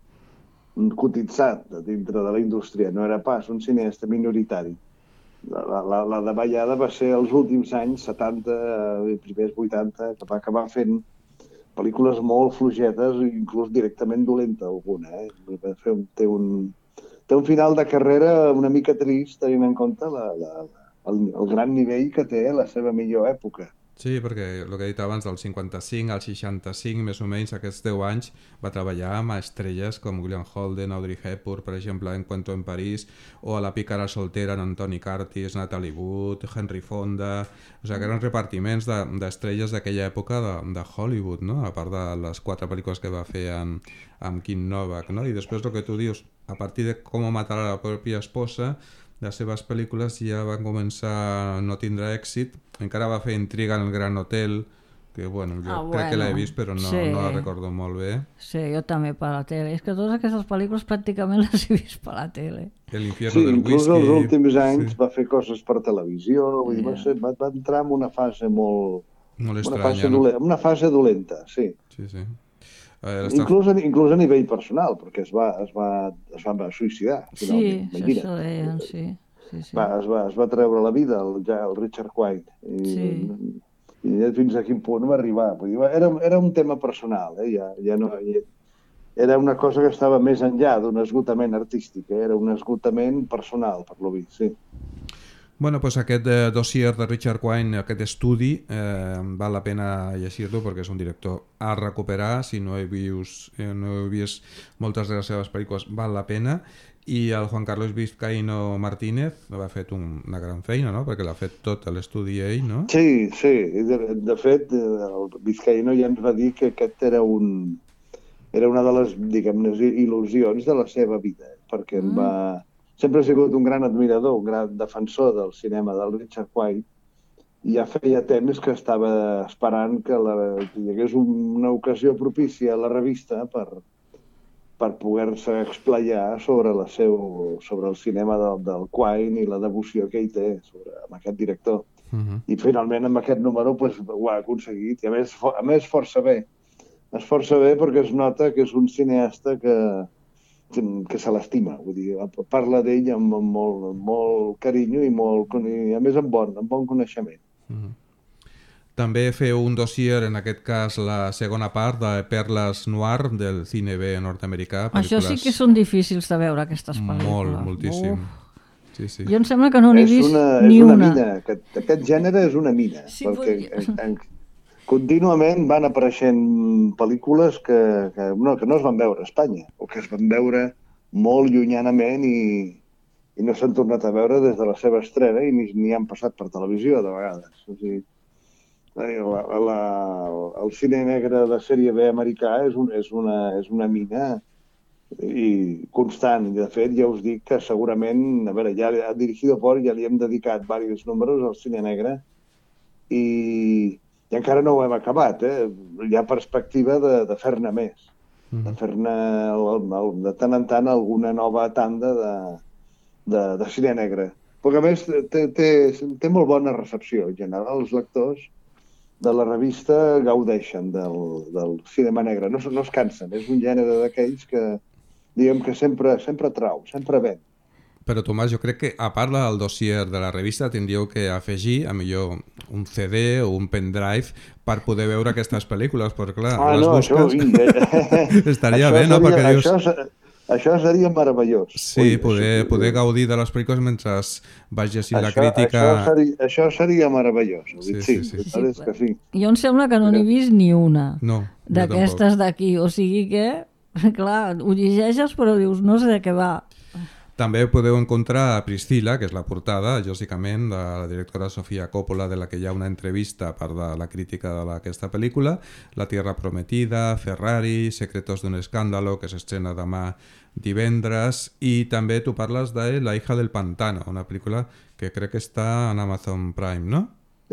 cotitzat dintre de la indústria, no era pas un cineasta minoritari. La, la, la davallada va ser els últims anys, setanta, eh, primers vuitanta, que va acabar fent pel·lícules molt fluixetes, inclús directament dolenta alguna. Eh? Va fer un, té, un, té un final de carrera una mica trist, tenint en compte la, la, el, el gran nivell que té la seva millor època. Sí, perquè el que he dit abans, del cinquanta-cinc al seixanta-cinc, més o menys, aquests deu anys, va treballar amb estrelles com William Holden, Audrey Hepburn, per exemple, en Cuento en París, o a La pícara soltera, en Antoni Curtis, Natalie Wood, Henry Fonda... O sigui, que eren repartiments d'estrelles de, d'aquella època de, de Hollywood, no? A part de les quatre pel·lícules que va fer amb, amb Kim Novak, no? I després el que tu dius, a partir de Com matar a la pròpia esposa, les seves pel·lícules ja van començar a no tindre èxit. Encara va fer Intriga en el Gran Hotel, que bueno, jo Ah, crec que l'he bueno, vist però no, sí. no la recordo molt bé. Sí, jo també per la tele. És que totes aquestes pel·lícules pràcticament les he vist per la tele. El infierno Sí, del inclús whisky... els últims anys sí, va fer coses per televisió, vull dir, va, ser, va, va entrar en una fase molt... molt Una estranya, fase, no? dolenta, una fase dolenta, sí. Sí, sí. Eh, l'està- Inclús, a, inclús a nivell personal, perquè es va, es va, es va suïcidar. Sí, finalment, això, imagina't. això deien, sí. sí, sí. Va, es, va, es va treure la vida el, ja, el Richard Quine. I, Sí. i fins a quin punt va arribar. Vull dir, era, era un tema personal, eh? ja, ja no, ja, era una cosa que estava més enllà d'un esgotament artístic, eh? Era un esgotament personal, per lo vist, sí. Bueno, pues aquest eh, dossier de Richard Quine, aquest estudi, eh, val la pena llegir-lo perquè és un director a recuperar. Si no he vist, eh, no he vist moltes de les seves pel·lícules, val la pena. I el Juan Carlos Vizcaíno Martínez va fet un, una gran feina, no? Perquè l'ha fet tot l'estudi ell, no? Sí, sí. De, de fet, el Vizcaíno ja ens va dir que aquest era un era una de les, diguem-ne, il·lusions de la seva vida, perquè em va... Sempre ha sigut un gran admirador, un gran defensor del cinema del Richard Quine, i ja feia temps que estava esperant que, la, que hi hagués una ocasió propícia a la revista per, per poder-se explayar sobre, la seu, sobre el cinema del, del Quine i la devoció que ell té sobre, amb aquest director. Uh-huh. I finalment amb aquest número pues, ho ha aconseguit, i a més, a més força bé. És força bé perquè es nota que és un cineasta que, que se l'estima, vull dir, parla d'ell amb, amb molt, molt carinyo i, molt, i a més amb bon, amb bon coneixement. Uh-huh. També feu un dossier, en aquest cas la segona part, de Perles Noir del cine B nord-americà. Això sí que són difícils de veure, aquestes pel·lícules. Molt, moltíssim. Uf. Sí, sí. Jo em sembla que no n'he És vist una, ni és una. una. Mina. Aquest, aquest gènere és una mina, Sí, perquè podria. en, en, contínuament van apareixent pel·lícules que, que, no, que no es van veure a Espanya, o que es van veure molt llunyanament i, i no s'han tornat a veure des de la seva estrena i ni, ni han passat per televisió, de vegades. O sigui, la, la, el cine negre de sèrie B americà és, un, és, una, és una mina i constant. I, de fet, ja us dic que segurament, a veure, ja a Dirigido por ja li hem dedicat diversos números al cine negre i, i encara no ho hem acabat, eh? Hi ha perspectiva de, de fer-ne més, mm. de fer-ne de tant en tant alguna nova tanda de, de, de cine negre. Perquè a més té, té, té molt bona recepció. En general, els lectors de la revista gaudeixen del, del cinema negre. No, no es cansen. És un gènere d'aquells que, diguem que sempre, sempre trau, sempre ven. Però, Tomàs, jo crec que, a part del dossier de la revista, tindríeu que afegir, a millor, un C D o un pendrive per poder veure aquestes pel·lícules, perquè, clar, ah, les no, busques... Això, estaria això bé, no? Seria, Perquè dius... això, això seria meravellós. Sí, Ui, poder, això, poder gaudir de les pel·lícules mentre vas llegint la això, crítica... Això seria, això seria meravellós. Sí, sí, sí, sí, sí. sí, sí. Que sí. Jo em sembla que no n'he vist ni una No, d'aquestes d'aquí. O sigui que, clar, ho llegeixes però dius, no sé de què va. També podeu encontrar a Priscilla, que és la portada, lògicament, de la directora Sofia Coppola, de la que hi ha una entrevista a part de la crítica d'aquesta pel·lícula, La Tierra Prometida, Ferrari, Secretos d'un escándalo, que s'estrena demà divendres, i també tu parles de La hija del pantano, una pel·lícula que crec que està en Amazon Prime, no?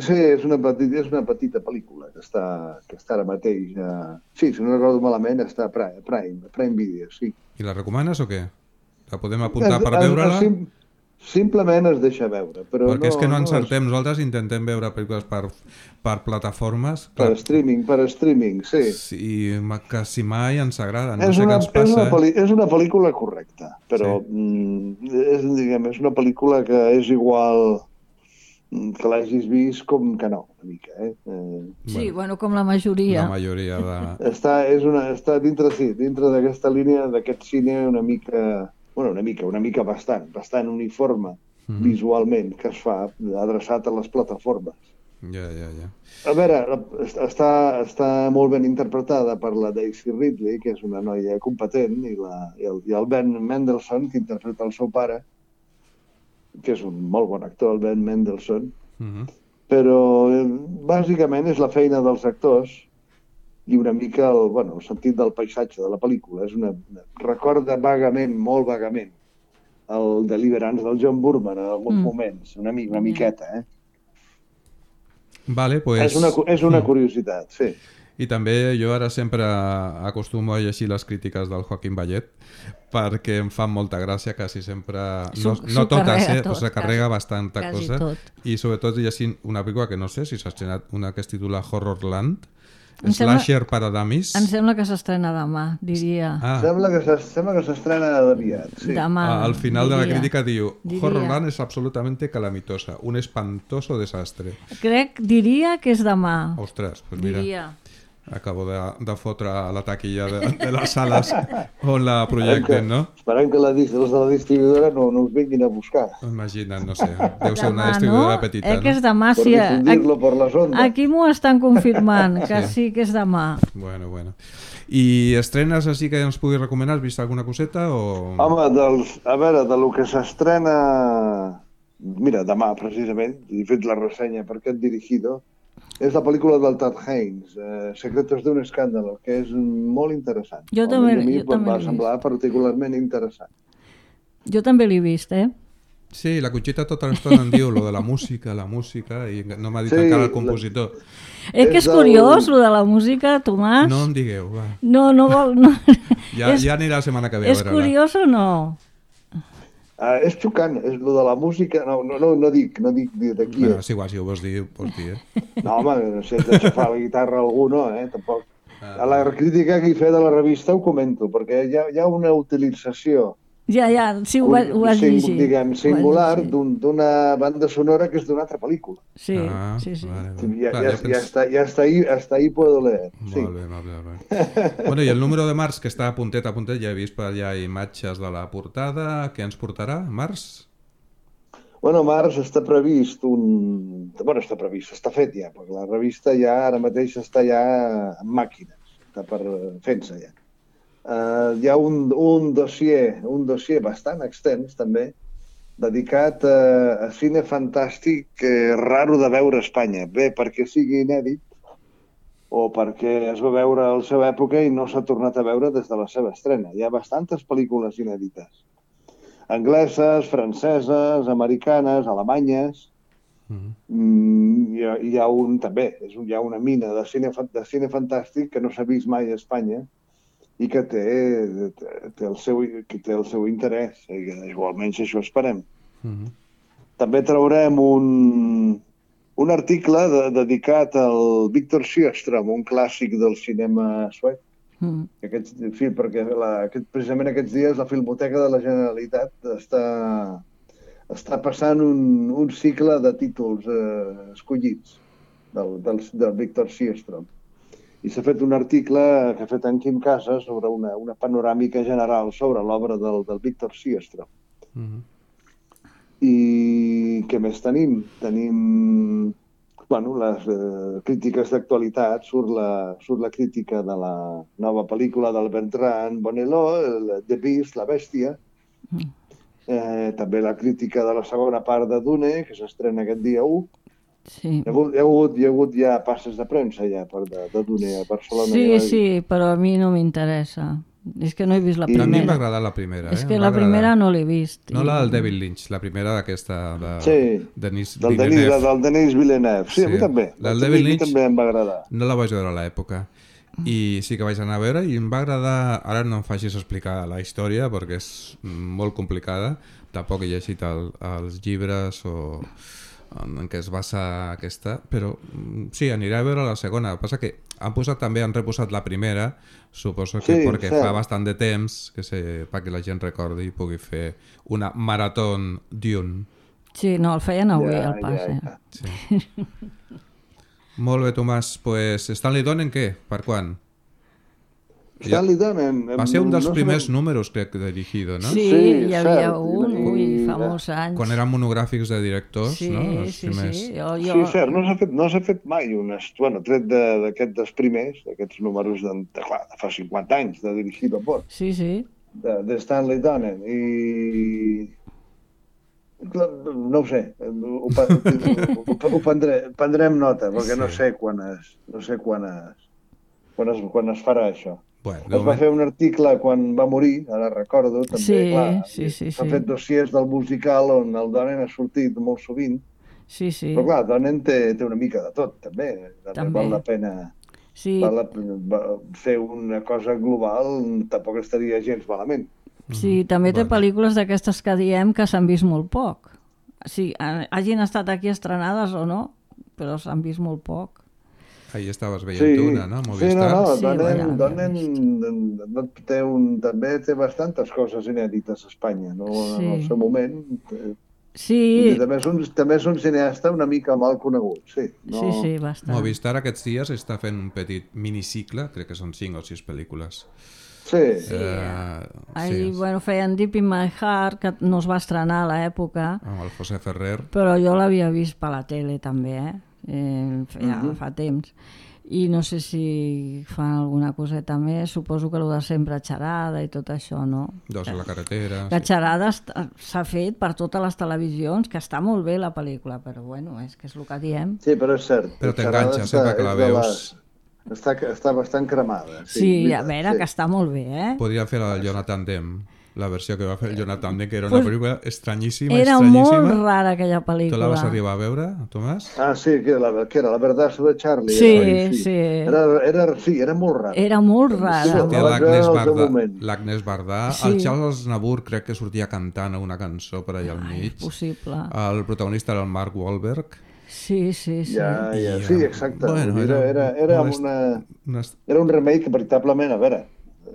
Sí, és una petita, és una petita pel·lícula que està, que està ara mateix... Uh... Sí, si no recordo malament, està a Prime, Prime, Prime Video, sí. I la recomanes o què? La podem apuntar per veure-la? Sim, simplement es deixa veure. Però Perquè no, és que no no encertem, és... nosaltres intentem veure pel·lícules per, per plataformes. Per Clar, streaming, per streaming, sí. sí, quasi mai ens agrada, no és, sé una, què ens passa. és, una pel·li, és una pel·lícula correcta, però Sí. mm, és, diguem, és una pel·lícula que és igual que l'hagis vist com que no, una mica. Eh? Eh, Sí, bueno, com la majoria. La majoria de... està, és una, està dintre, sí, dintre d'aquesta línia, d'aquest cine una mica... Bueno, una mica, una mica bastant, bastant uniforme mm-hmm. visualment, que es fa adreçat a les plataformes. Ja, ja, ja. A veure, està, està molt ben interpretada per la Daisy Ridley, que és una noia competent, i, la, i, el, i el Ben Mendelsohn, que interpreta el seu pare, que és un molt bon actor, el Ben Mendelsohn, mm-hmm. però eh, bàsicament és la feina dels actors i una mica el, bueno, el sentit del paisatge de la pel·lícula. És una, una, recorda vagament, molt vagament, el Deliverance del John Burman en alguns mm. moments, una, mi, una miqueta, eh? Vale, pues... És una, és una curiositat, sí. I també jo ara sempre acostumo a llegir les crítiques del Joaquim Bayet perquè em fan molta gràcia, quasi sempre... No, no totes, eh? Tot, se carrega bastanta cosa. Tot. I sobretot llegint una pel·lícula que no sé si s'ha estrenat, una que es titula Horrorland, Slasher Paradamis. Em sembla que s'estrena demà, diria. Ah. Sembla que s'estrena aviat, sí. Demà, Al final diria. de la crítica diu diria. Horrorland es absolutamente calamitosa, un espantoso desastre. Crec, diria que és demà. Ostres, pues mira. Diria. Acabo de, de fotre a la taquilla de, de les sales on la projecten, no? Esperem que la, els de la distribuïdora no, no us vinguin a buscar. Imagina't, no sé, deu ser demà, una distribuïdora no? petita, eh, que és no? demà, Per sí. difundir-lo per les ondes. Aquí m'ho estan confirmant, que sí. sí que és demà. Bueno, bueno. I estrenes així que ens puguis recomanar? Has vist alguna coseta o...? Home, dels, a veure, de lo que s'estrena... Mira, demà, precisament, he fet la ressenya per aquest dirigido, és la pel·lícula del Todd Haynes, eh, Secretos d'un escándalo, que és molt interessant. Jo també, a mi jo també va semblar particularment interessant. Jo també l'he vist, eh? Sí, la Conxita tota l'estona em diu lo de la música, la música, i no m'ha dit sí, encara el compositor. La... Eh, que és, és curiós, el... lo de la música, Tomàs. No em digueu, va. No, no vol... No. Ja, és, ja anirà la setmana que ve. És curiós o no? Uh, és xocant, és lo de la música, no, no, no, no dic, no dic d'aquí. Bueno, és igual, si ho vols dir, ho pots dir, eh? No, home, no sé, de xafar la guitarra algú, no, eh, tampoc. Ah, a la crítica que hi fe de la revista ho comento, perquè hi ha, hi ha una utilització... Ja, ja, sí, ho, va, ho vas sing, llegir. Diguem, singular d'una un, banda sonora que és d'una altra pel·lícula. Sí, ah, sí, sí. Vale, vale. Ja, ja, ja, està, ja està ahí, hasta ahí puedo leer. Sí. Molt bé, molt bé, molt bé. Bueno, i el número de març, que està a puntet a puntet, ja he vist per allà imatges de la portada. Què ens portarà, març? Bueno, març està previst un... Bueno, està previst, està fet ja, perquè la revista ja ara mateix està ja en màquines, està per fent-se ja. Uh, hi ha un, un dossier, un dossier bastant extens també, dedicat a, a cine fantàstic eh, raro de veure a Espanya. Bé, perquè sigui inèdit o perquè es va veure a la seva època i no s'ha tornat a veure des de la seva estrena. Hi ha bastantes pel·lícules inèdites. Angleses, franceses, americanes, alemanyes, Mm, hi, ha, hi ha un, també, és un, hi ha una mina de cine, de cine fantàstic que no s'ha vist mai a Espanya i que té, té, el, seu, que té el seu interès. O almenys això esperem. Mm-hmm. També traurem un, un article de, dedicat al Victor Sjöström, un clàssic del cinema suec. Mm. Aquest, sí, perquè la, aquest, precisament aquests dies la Filmoteca de la Generalitat està, està passant un, un cicle de títols eh, escollits del, del, del Victor Sjöström. I s'ha fet un article que ha fet en Quim Casas sobre una, una panoràmica general sobre l'obra del, del Victor Sjöström. Mm-hmm. I què més tenim? Tenim bueno, les eh, crítiques d'actualitat. Surt la, surt la crítica de la nova pel·lícula del Bertrand Bonello, el The Beast, la bèstia. Mm. Eh, també la crítica de la segona part de Dune, que s'estrena aquest dia u. Sí. Hi ha hagut, hi ha hagut, hi ha hagut ja passes de premsa ja per de, de Dune a Barcelona. Sí, sí, però a mi no m'interessa. És que no he vist la I primera. a mi m'ha agradat la primera. És eh? que la primera no l'he vist. No la del David Lynch, la primera d'aquesta de sí, Denis del Villeneuve. Denis, del Denis Villeneuve. Sí, sí, a mi també. La del David Lynch també em va agradar. No la vaig veure a l'època. I sí que vaig anar a veure i em va agradar... Ara no em facis explicar la història perquè és molt complicada. Tampoc he llegit el, els llibres o en què es basa aquesta, però sí, aniré a veure la segona. El que passa que han posat també, han reposat la primera, suposo que sí, perquè sí. fa bastant de temps que se, perquè la gent recordi i pugui fer una marató Dune. Sí, no, el feien avui, ja, el pas. Ja, ja. Sí. Molt bé, Tomàs. Pues, Stanley Donen, què? Per quan? Stanley Donen... Va ser un dels no primers sabem... números, crec, de Dirigido, no? Sí, sí hi havia cert. un, ui, fa molts anys. Quan eren monogràfics de directors, sí, no? Els sí, primers... sí, jo, jo... Sí, cert, no s'ha fet, no s'ha fet mai un... Bueno, tret d'aquests de, dels primers, d'aquests números de, de, de fa cinquanta anys, de Dirigido por. Sí, sí. De, de Stanley Donen. I... No ho sé, ho, ho, ho, ho prendré, prendrem nota, perquè sí. no sé quan es, no sé quan es, quan es, quan es farà això. Bueno, es va moment... fer un article quan va morir, ara recordo, també, sí, clar, sí, sí, s'ha sí. fet dossiers del musical on el Donen ha sortit molt sovint, sí, sí. però clar, Donen té, té una mica de tot, també, també, també. Val la pena sí. val la, va, fer una cosa global, tampoc estaria gens malament. Sí, també té pel·lícules d'aquestes que diem que s'han vist molt poc. Sí, hagin estat aquí estrenades o no, però s'han vist molt poc. Ahí estaves veient sí. una, no? Movistar. Sí, no, no, sí, Donen, Donen té un, també té bastantes coses inèdites a Espanya, no? Sí. En el seu moment. Sí. També és, un, també és un cineasta una mica mal conegut, sí. No... Sí, sí, bastant. Movistar aquests dies està fent un petit minicicle, crec que són cinc o sis pel·lícules. Sí. sí. Uh, Ahí, sí. Bueno, feien Deep in My Heart, que no es va estrenar a l'època. Amb el José Ferrer. Però jo l'havia vist per la tele, també, eh? eh ja uh -huh. fa temps. I no sé si fan alguna coseta més, suposo que el de sempre xarada i tot això, no? Dos a la carretera... La sí. xarada s'ha fet per totes les televisions, que està molt bé la pel·lícula, però bueno, és que és el que diem. Sí, però és cert. Però t'enganxa, sempre que la veus... Està, està bastant cremada. Sí, sí a veure, sí. que està molt bé, eh? Podria fer el Jonathan Demme, la versió que va fer el Jonathan Demme, que era una pues pel·lícula estranyíssima, era estranyíssima. molt rara aquella pel·lícula. Tu la vas arribar a veure, Tomàs? Ah, sí, que era la, que era la verdad sobre Charlie. Sí, era, sí. sí. Era, era, sí, era molt rara. Era molt rara. Sortia l'Agnès Bardà, l'Agnès Bardà. Sí. El Charles Nabur crec que sortia cantant una cançó per allà al mig. Ai, possible. El protagonista era el Mark Wahlberg. Sí, sí, sí. Ja, ja, sí, exacte. Bueno, era, era, era, una, una... era un remake que veritablement, a veure,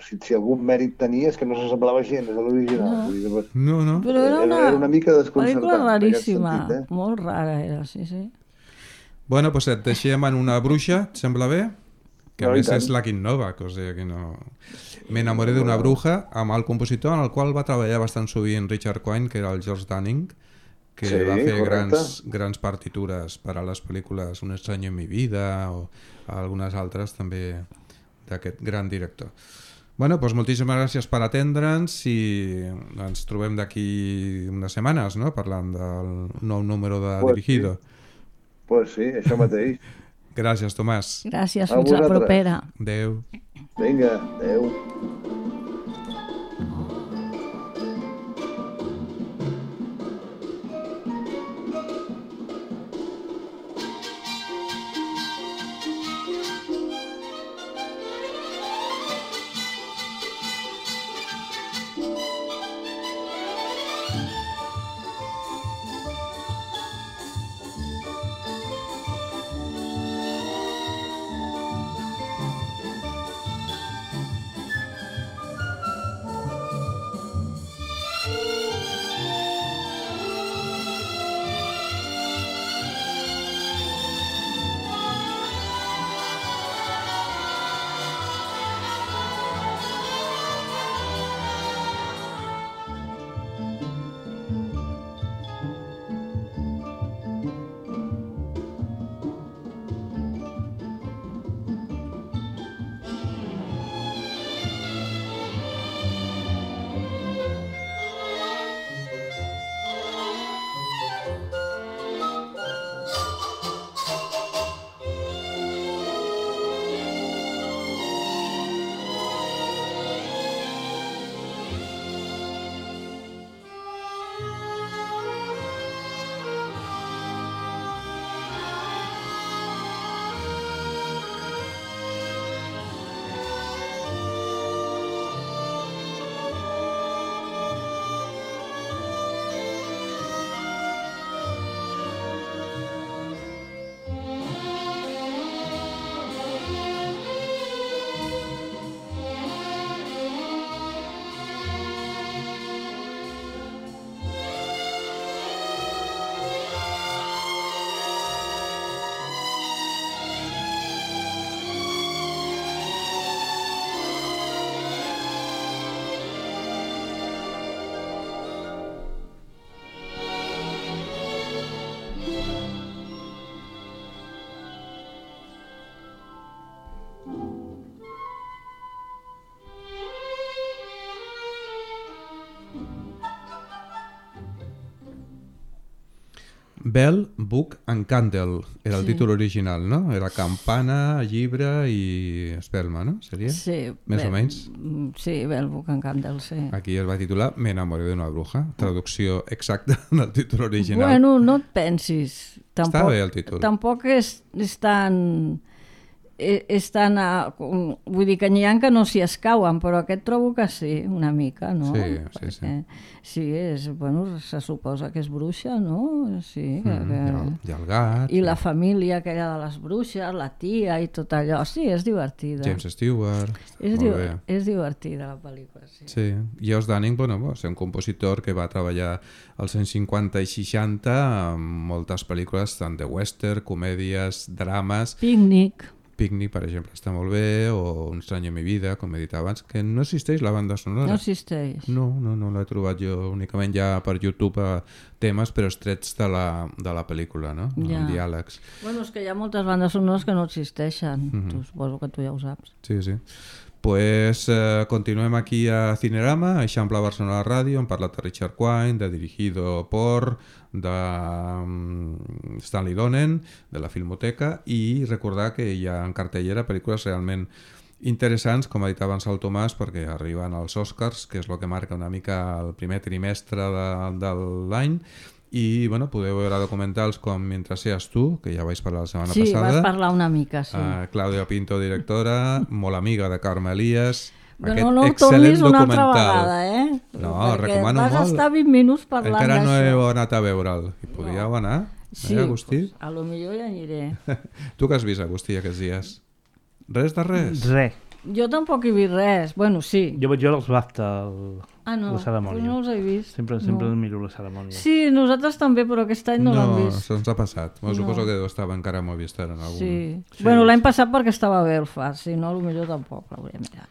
si, si algun mèrit tenia és que no s'assemblava gens a l'original. No, no. Però era una, era una mica desconcertant. Pel·lícula raríssima, sentit, eh? Molt rara era, sí, sí. Bueno, pues et deixem en una bruixa, et sembla bé? Que no, a més és la Quint Novak, o sigui que no... M'enamoré d'una bruja amb el compositor en el qual va treballar bastant sovint Richard Quine, que era el George Dunning, que sí, va fer grans, grans partitures per a les pel·lícules Un estrany en mi vida o algunes altres també d'aquest gran director. Bueno, doncs moltíssimes gràcies per atendre'ns i ens trobem d'aquí unes setmanes, no?, parlant del nou número de pues Dirigido. Sí. Pues sí, això mateix. Gràcies, Tomàs. Gràcies, fins la propera. Adéu. Vinga, adéu. Bell, Book and Candle era el Sí. títol original, no? Era campana, llibre i espelma, no? Seria? Sí. Més o menys. Sí, Bell, Book and Candle, sí. Aquí es va titular Me enamoré d'una bruja, traducció exacta del títol original. Bueno, no et pensis. Tampoc, Està bé el títol. Tampoc és, és tan... és tan... A, vull dir que n'hi ha que no s'hi escauen, però aquest trobo que sí, una mica, no? Sí, sí, Perquè, sí. Sí, és, bueno, se suposa que és bruixa, no? Sí, que, Mm, que... i, el, I el gat. I la família aquella de les bruixes, la tia i tot allò. Sí, és divertida. James Stewart. És, Molt diu bé. és divertida la pel·lícula, sí. Sí, i Os Dunning, bueno, va ser un compositor que va treballar als anys cinquanta i seixanta amb moltes pel·lícules, tant de western, comèdies, drames. Pícnic. Picnic, per exemple, està molt bé, o Un estrany en mi vida, com he dit abans, que no existeix la banda sonora. No existeix. No, no, no l'he trobat jo únicament ja per YouTube a temes, però estrets de la, de la pel·lícula, no? Ja. Amb diàlegs. Bueno, és que hi ha moltes bandes sonores que no existeixen. Mhm. Tu suposo que tu ja ho saps. Sí, sí. Pues eh, continuem aquí a Cinerama, a Eixample Barcelona Ràdio, hem parlat de Richard Quine, de Dirigido por, de um, Stanley Donen, de la Filmoteca, i recordar que hi ha en cartellera pel·lícules realment interessants, com ha dit abans el Tomàs, perquè arriben als Oscars, que és el que marca una mica el primer trimestre de, de l'any, i bueno, podeu veure documentals com Mientras seas tú, que ja vaig parlar la setmana Sí, passada. vas parlar una mica, sí. Uh, Clàudia Pinto, directora, molt amiga de Carme Elias. Però no ho tornis una altra vegada, eh? No, Perquè recomano vas molt. estar vint minuts parlant Encara no d'això. heu anat a veure'l. I podríeu anar? Sí, eh, Agustí? pues, a lo millor ja aniré. Tu què has vist, Agustí, aquests dies? Res de res? Res. Jo tampoc he vist res. Bueno, sí. Jo vaig veure els BAFTA, el, Ah, no, la cerimònia. pues no els he vist. Sempre, sempre no. miro la cerimònia. Sí, nosaltres també, però aquest any no, l'hem vist. No, se'ns ha passat. Bueno, No. Suposo que deu estar encara a Movistar en algun... Sí. Sí. Bueno, l'any passat perquè estava a Belfast, si no, potser tampoc l'hauria mirat.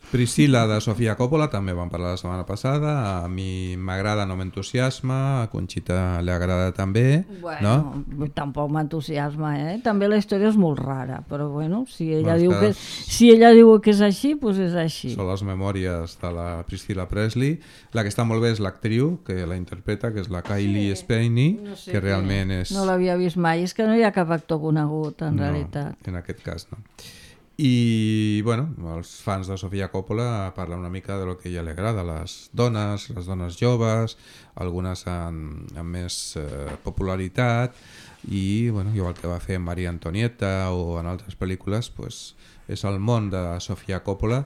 Priscilla, de Sofia Coppola, també vam parlar la setmana passada. A mi m'agrada, no m'entusiasma. A Conxita li agrada també. Bueno, no? tampoc m'entusiasma, eh? També la història és molt rara, però bueno, si ella, Bueno, diu, que- que, si ella diu que és així, doncs és així. Són les memòries de la Priscilla Presley. La que està molt bé és l'actriu que la interpreta, que és la Kylie Sí. Spenny, No sé que què. realment és... No l'havia vist mai, és que no hi ha cap actor conegut, en No, realitat. en aquest cas no. I, bueno, els fans de Sofia Coppola parlen una mica de lo que a ella li agrada, les dones, les dones joves, algunes amb, amb més eh, popularitat, i, bueno, igual que va fer en Maria Antonieta o en altres pel·lícules, pues, és el món de Sofia Coppola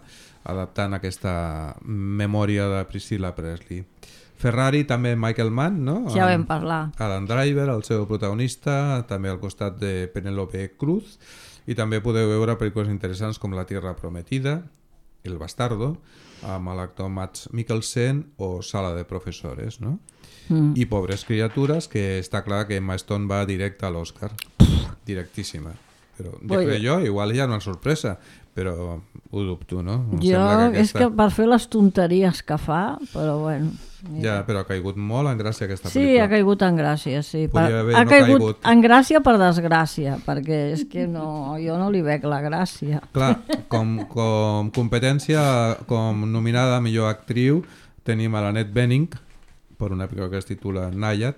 adaptant aquesta memòria de Priscilla Presley. Ferrari, també Michael Mann, no? Ja vam Amb parlar. Adam Driver, el seu protagonista, també al costat de Penélope Cruz, i també podeu veure pel·lícules interessants com La Tierra Prometida, El Bastardo, amb l'actor Mads Mikkelsen, o Sala de Professores, no? Mm. I Pobres criatures, que està clar que Emma Stone va directe a l'Oscar. Directíssima. Però jo Oi. crec jo, igual hi ha una sorpresa, però ho dubto, no? Em Jo, sembla és que per fer les tonteries que fa, però bueno... Ja, però ha caigut molt en gràcia aquesta Sí, pel·lícula. ha caigut en gràcia, sí. Podria Per- haver ha no caigut, caigut. en gràcia per desgràcia, perquè és que no, jo no li veig la gràcia. Clar, com, com competència, com nominada a millor actriu, tenim a l'Annette Bening, per una pel·lícula que es titula Nayad,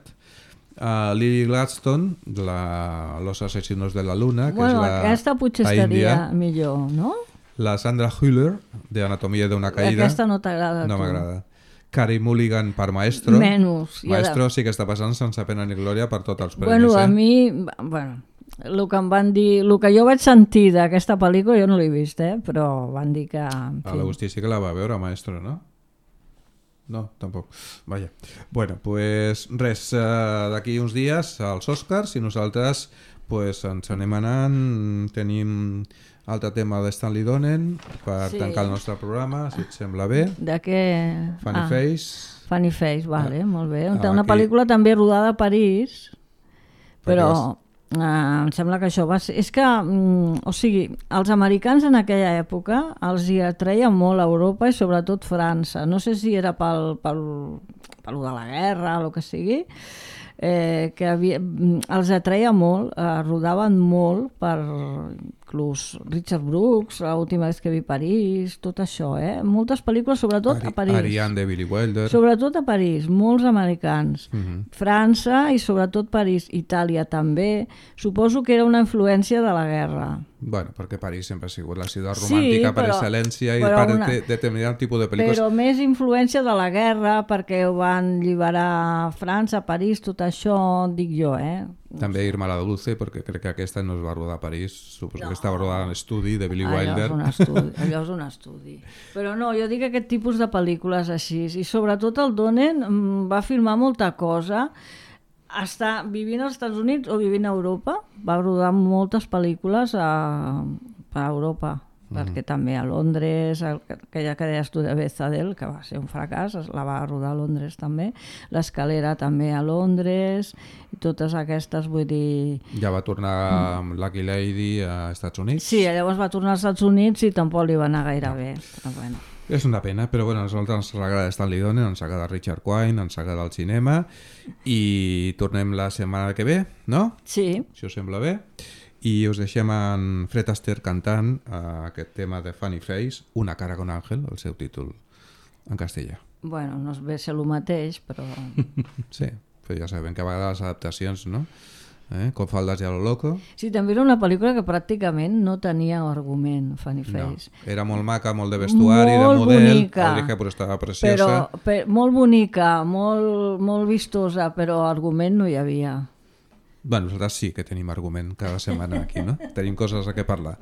a Lily Gladstone, la, Los asesinos de la luna, que Bueno, és la, aquesta potser la estaria Índia, millor, no? la Sandra Hüller, de Anatomia d'una caïda, Aquesta no t'agrada a no tu. m'agrada. Carey Mulligan per Maestro. Menys. I ara- Maestro sí que està passant sense pena ni glòria per tots els premis. Bueno, a eh? mi... Bueno, el que em van dir... El que jo vaig sentir d'aquesta pel·lícula, jo no l'he vist, eh? Però van dir que... en A fi. l'Agustí sí que la va veure, Maestro, no? No, tampoc. Vaja. Bueno, pues res, eh, d'aquí uns dies als Oscars i nosaltres pues, ens anem anant, tenim altre tema de Stanley Donen per Sí. tancar el nostre programa, si et sembla bé. De què... Funny Ah, Face. Funny Face, vale, Ah. molt bé. Ah, Una aquí. pel·lícula també rodada a París, Per però eh, em sembla que això va ser... És que, mm, o sigui, els americans en aquella època els hi atreia molt a Europa i sobretot França. No sé si era pel, pel, pel de la guerra o el que sigui, eh, que havia, mm, els atreia molt, eh, rodaven molt per... inclús Richard Brooks, l'última vez que vi París, tot això, eh? Moltes pel·lícules, sobretot Ari, a París. Ariane de Billy Wilder. Sobretot a París, molts americans. Uh-huh. França i sobretot París. Itàlia també. Suposo que era una influència de la guerra. Bueno, perquè París sempre ha sigut la ciutat romàntica Sí, per però- excel·lència i però per una- de, determinat tipus de pel·lícules. Però més influència de la guerra, perquè ho van alliberar França, París, tot això, dic jo, eh? També Irma la Dulce, perquè crec que aquesta no es va rodar a París, suposo No. que estava rodada en l'estudi de Billy Allò Wilder. és, un estudi, allò és un estudi. Però no, jo dic aquest tipus de pel·lícules així, i sobretot el Donen mm, va filmar molta cosa, està vivint als Estats Units o vivint a Europa, va rodar moltes pel·lícules a, a Europa, mm. perquè també a Londres, el, aquella que deies tu de Bezadel, que va ser un fracàs, es- la va rodar a Londres també, l'Escalera també a Londres, i totes aquestes, vull dir... Ja va tornar amb Lucky Lady a Estats Units. Sí, llavors va tornar als Estats Units i tampoc li va anar gaire bé, però bueno. És una pena, però bueno, a nosaltres ens agrada Stanley Donen, ens agrada Richard Quine, ens agrada el cinema i tornem la setmana que ve, no? Sí, Si us sembla bé. I us deixem en Fred Astaire cantant uh, aquest tema de Funny Face, Una cara con ángel, el seu títol en castellà. bueno, no es ve ser el mateix, però... Sí, però ja sabem que a vegades les adaptacions, no? Eh? Com faldes i a lo loco. Sí, també era una pel·lícula que pràcticament no tenia argument, Funny No. Face. Era molt maca, molt de vestuari, Molt de model. bonica. Aurika però estava preciosa. Però, per, molt bonica, molt, molt vistosa, però argument no hi havia. Bueno, nosaltres sí que tenim argument cada setmana aquí, no? Tenim coses a què parlar.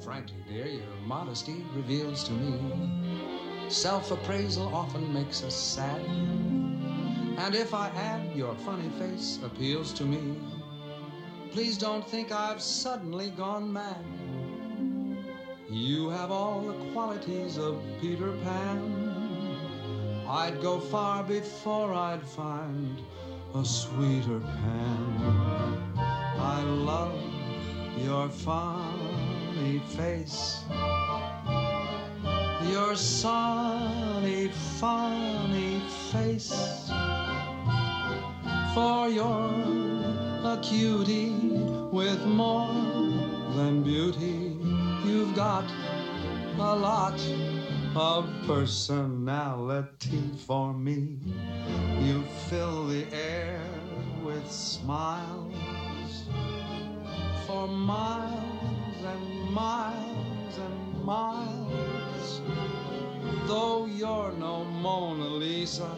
Frankly, dear, your modesty reveals to me self-appraisal often makes us sad. And if I add your funny face appeals to me, please don't think I've suddenly gone mad. You have all the qualities of Peter Pan. I'd go far before I'd find a sweeter Pan. I love your funny face, your sunny, funny face. For you're a cutie with more than beauty. You've got a lot of personality for me. You fill the air with smiles for miles and miles and miles. Though you're no Mona Lisa,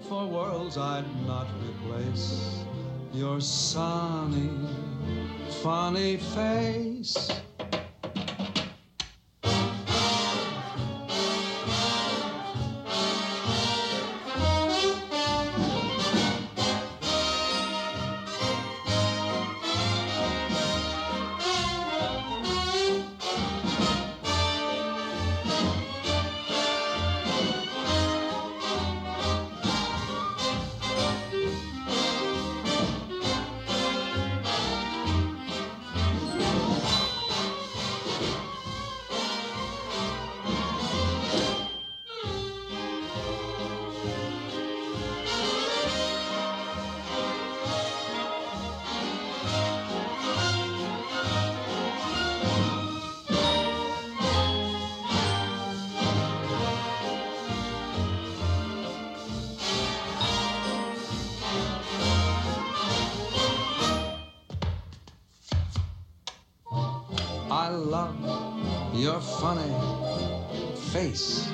for worlds I'd not replace your sunny, funny face. I love your funny face,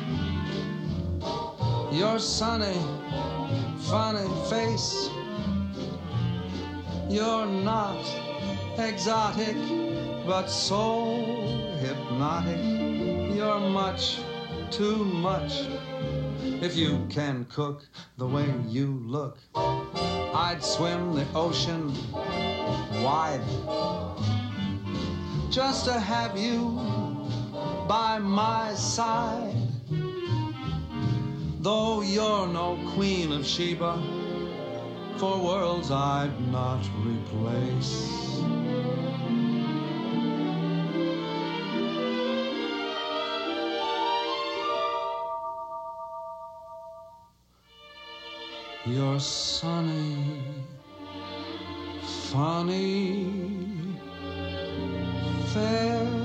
your sunny, funny face. You're not exotic, but so hypnotic. You're much too much. If you can cook the way you look, I'd swim the ocean wide just to have you by my side. Though you're no Queen of Sheba, for worlds I'd not replace. You're sunny, funny, fair,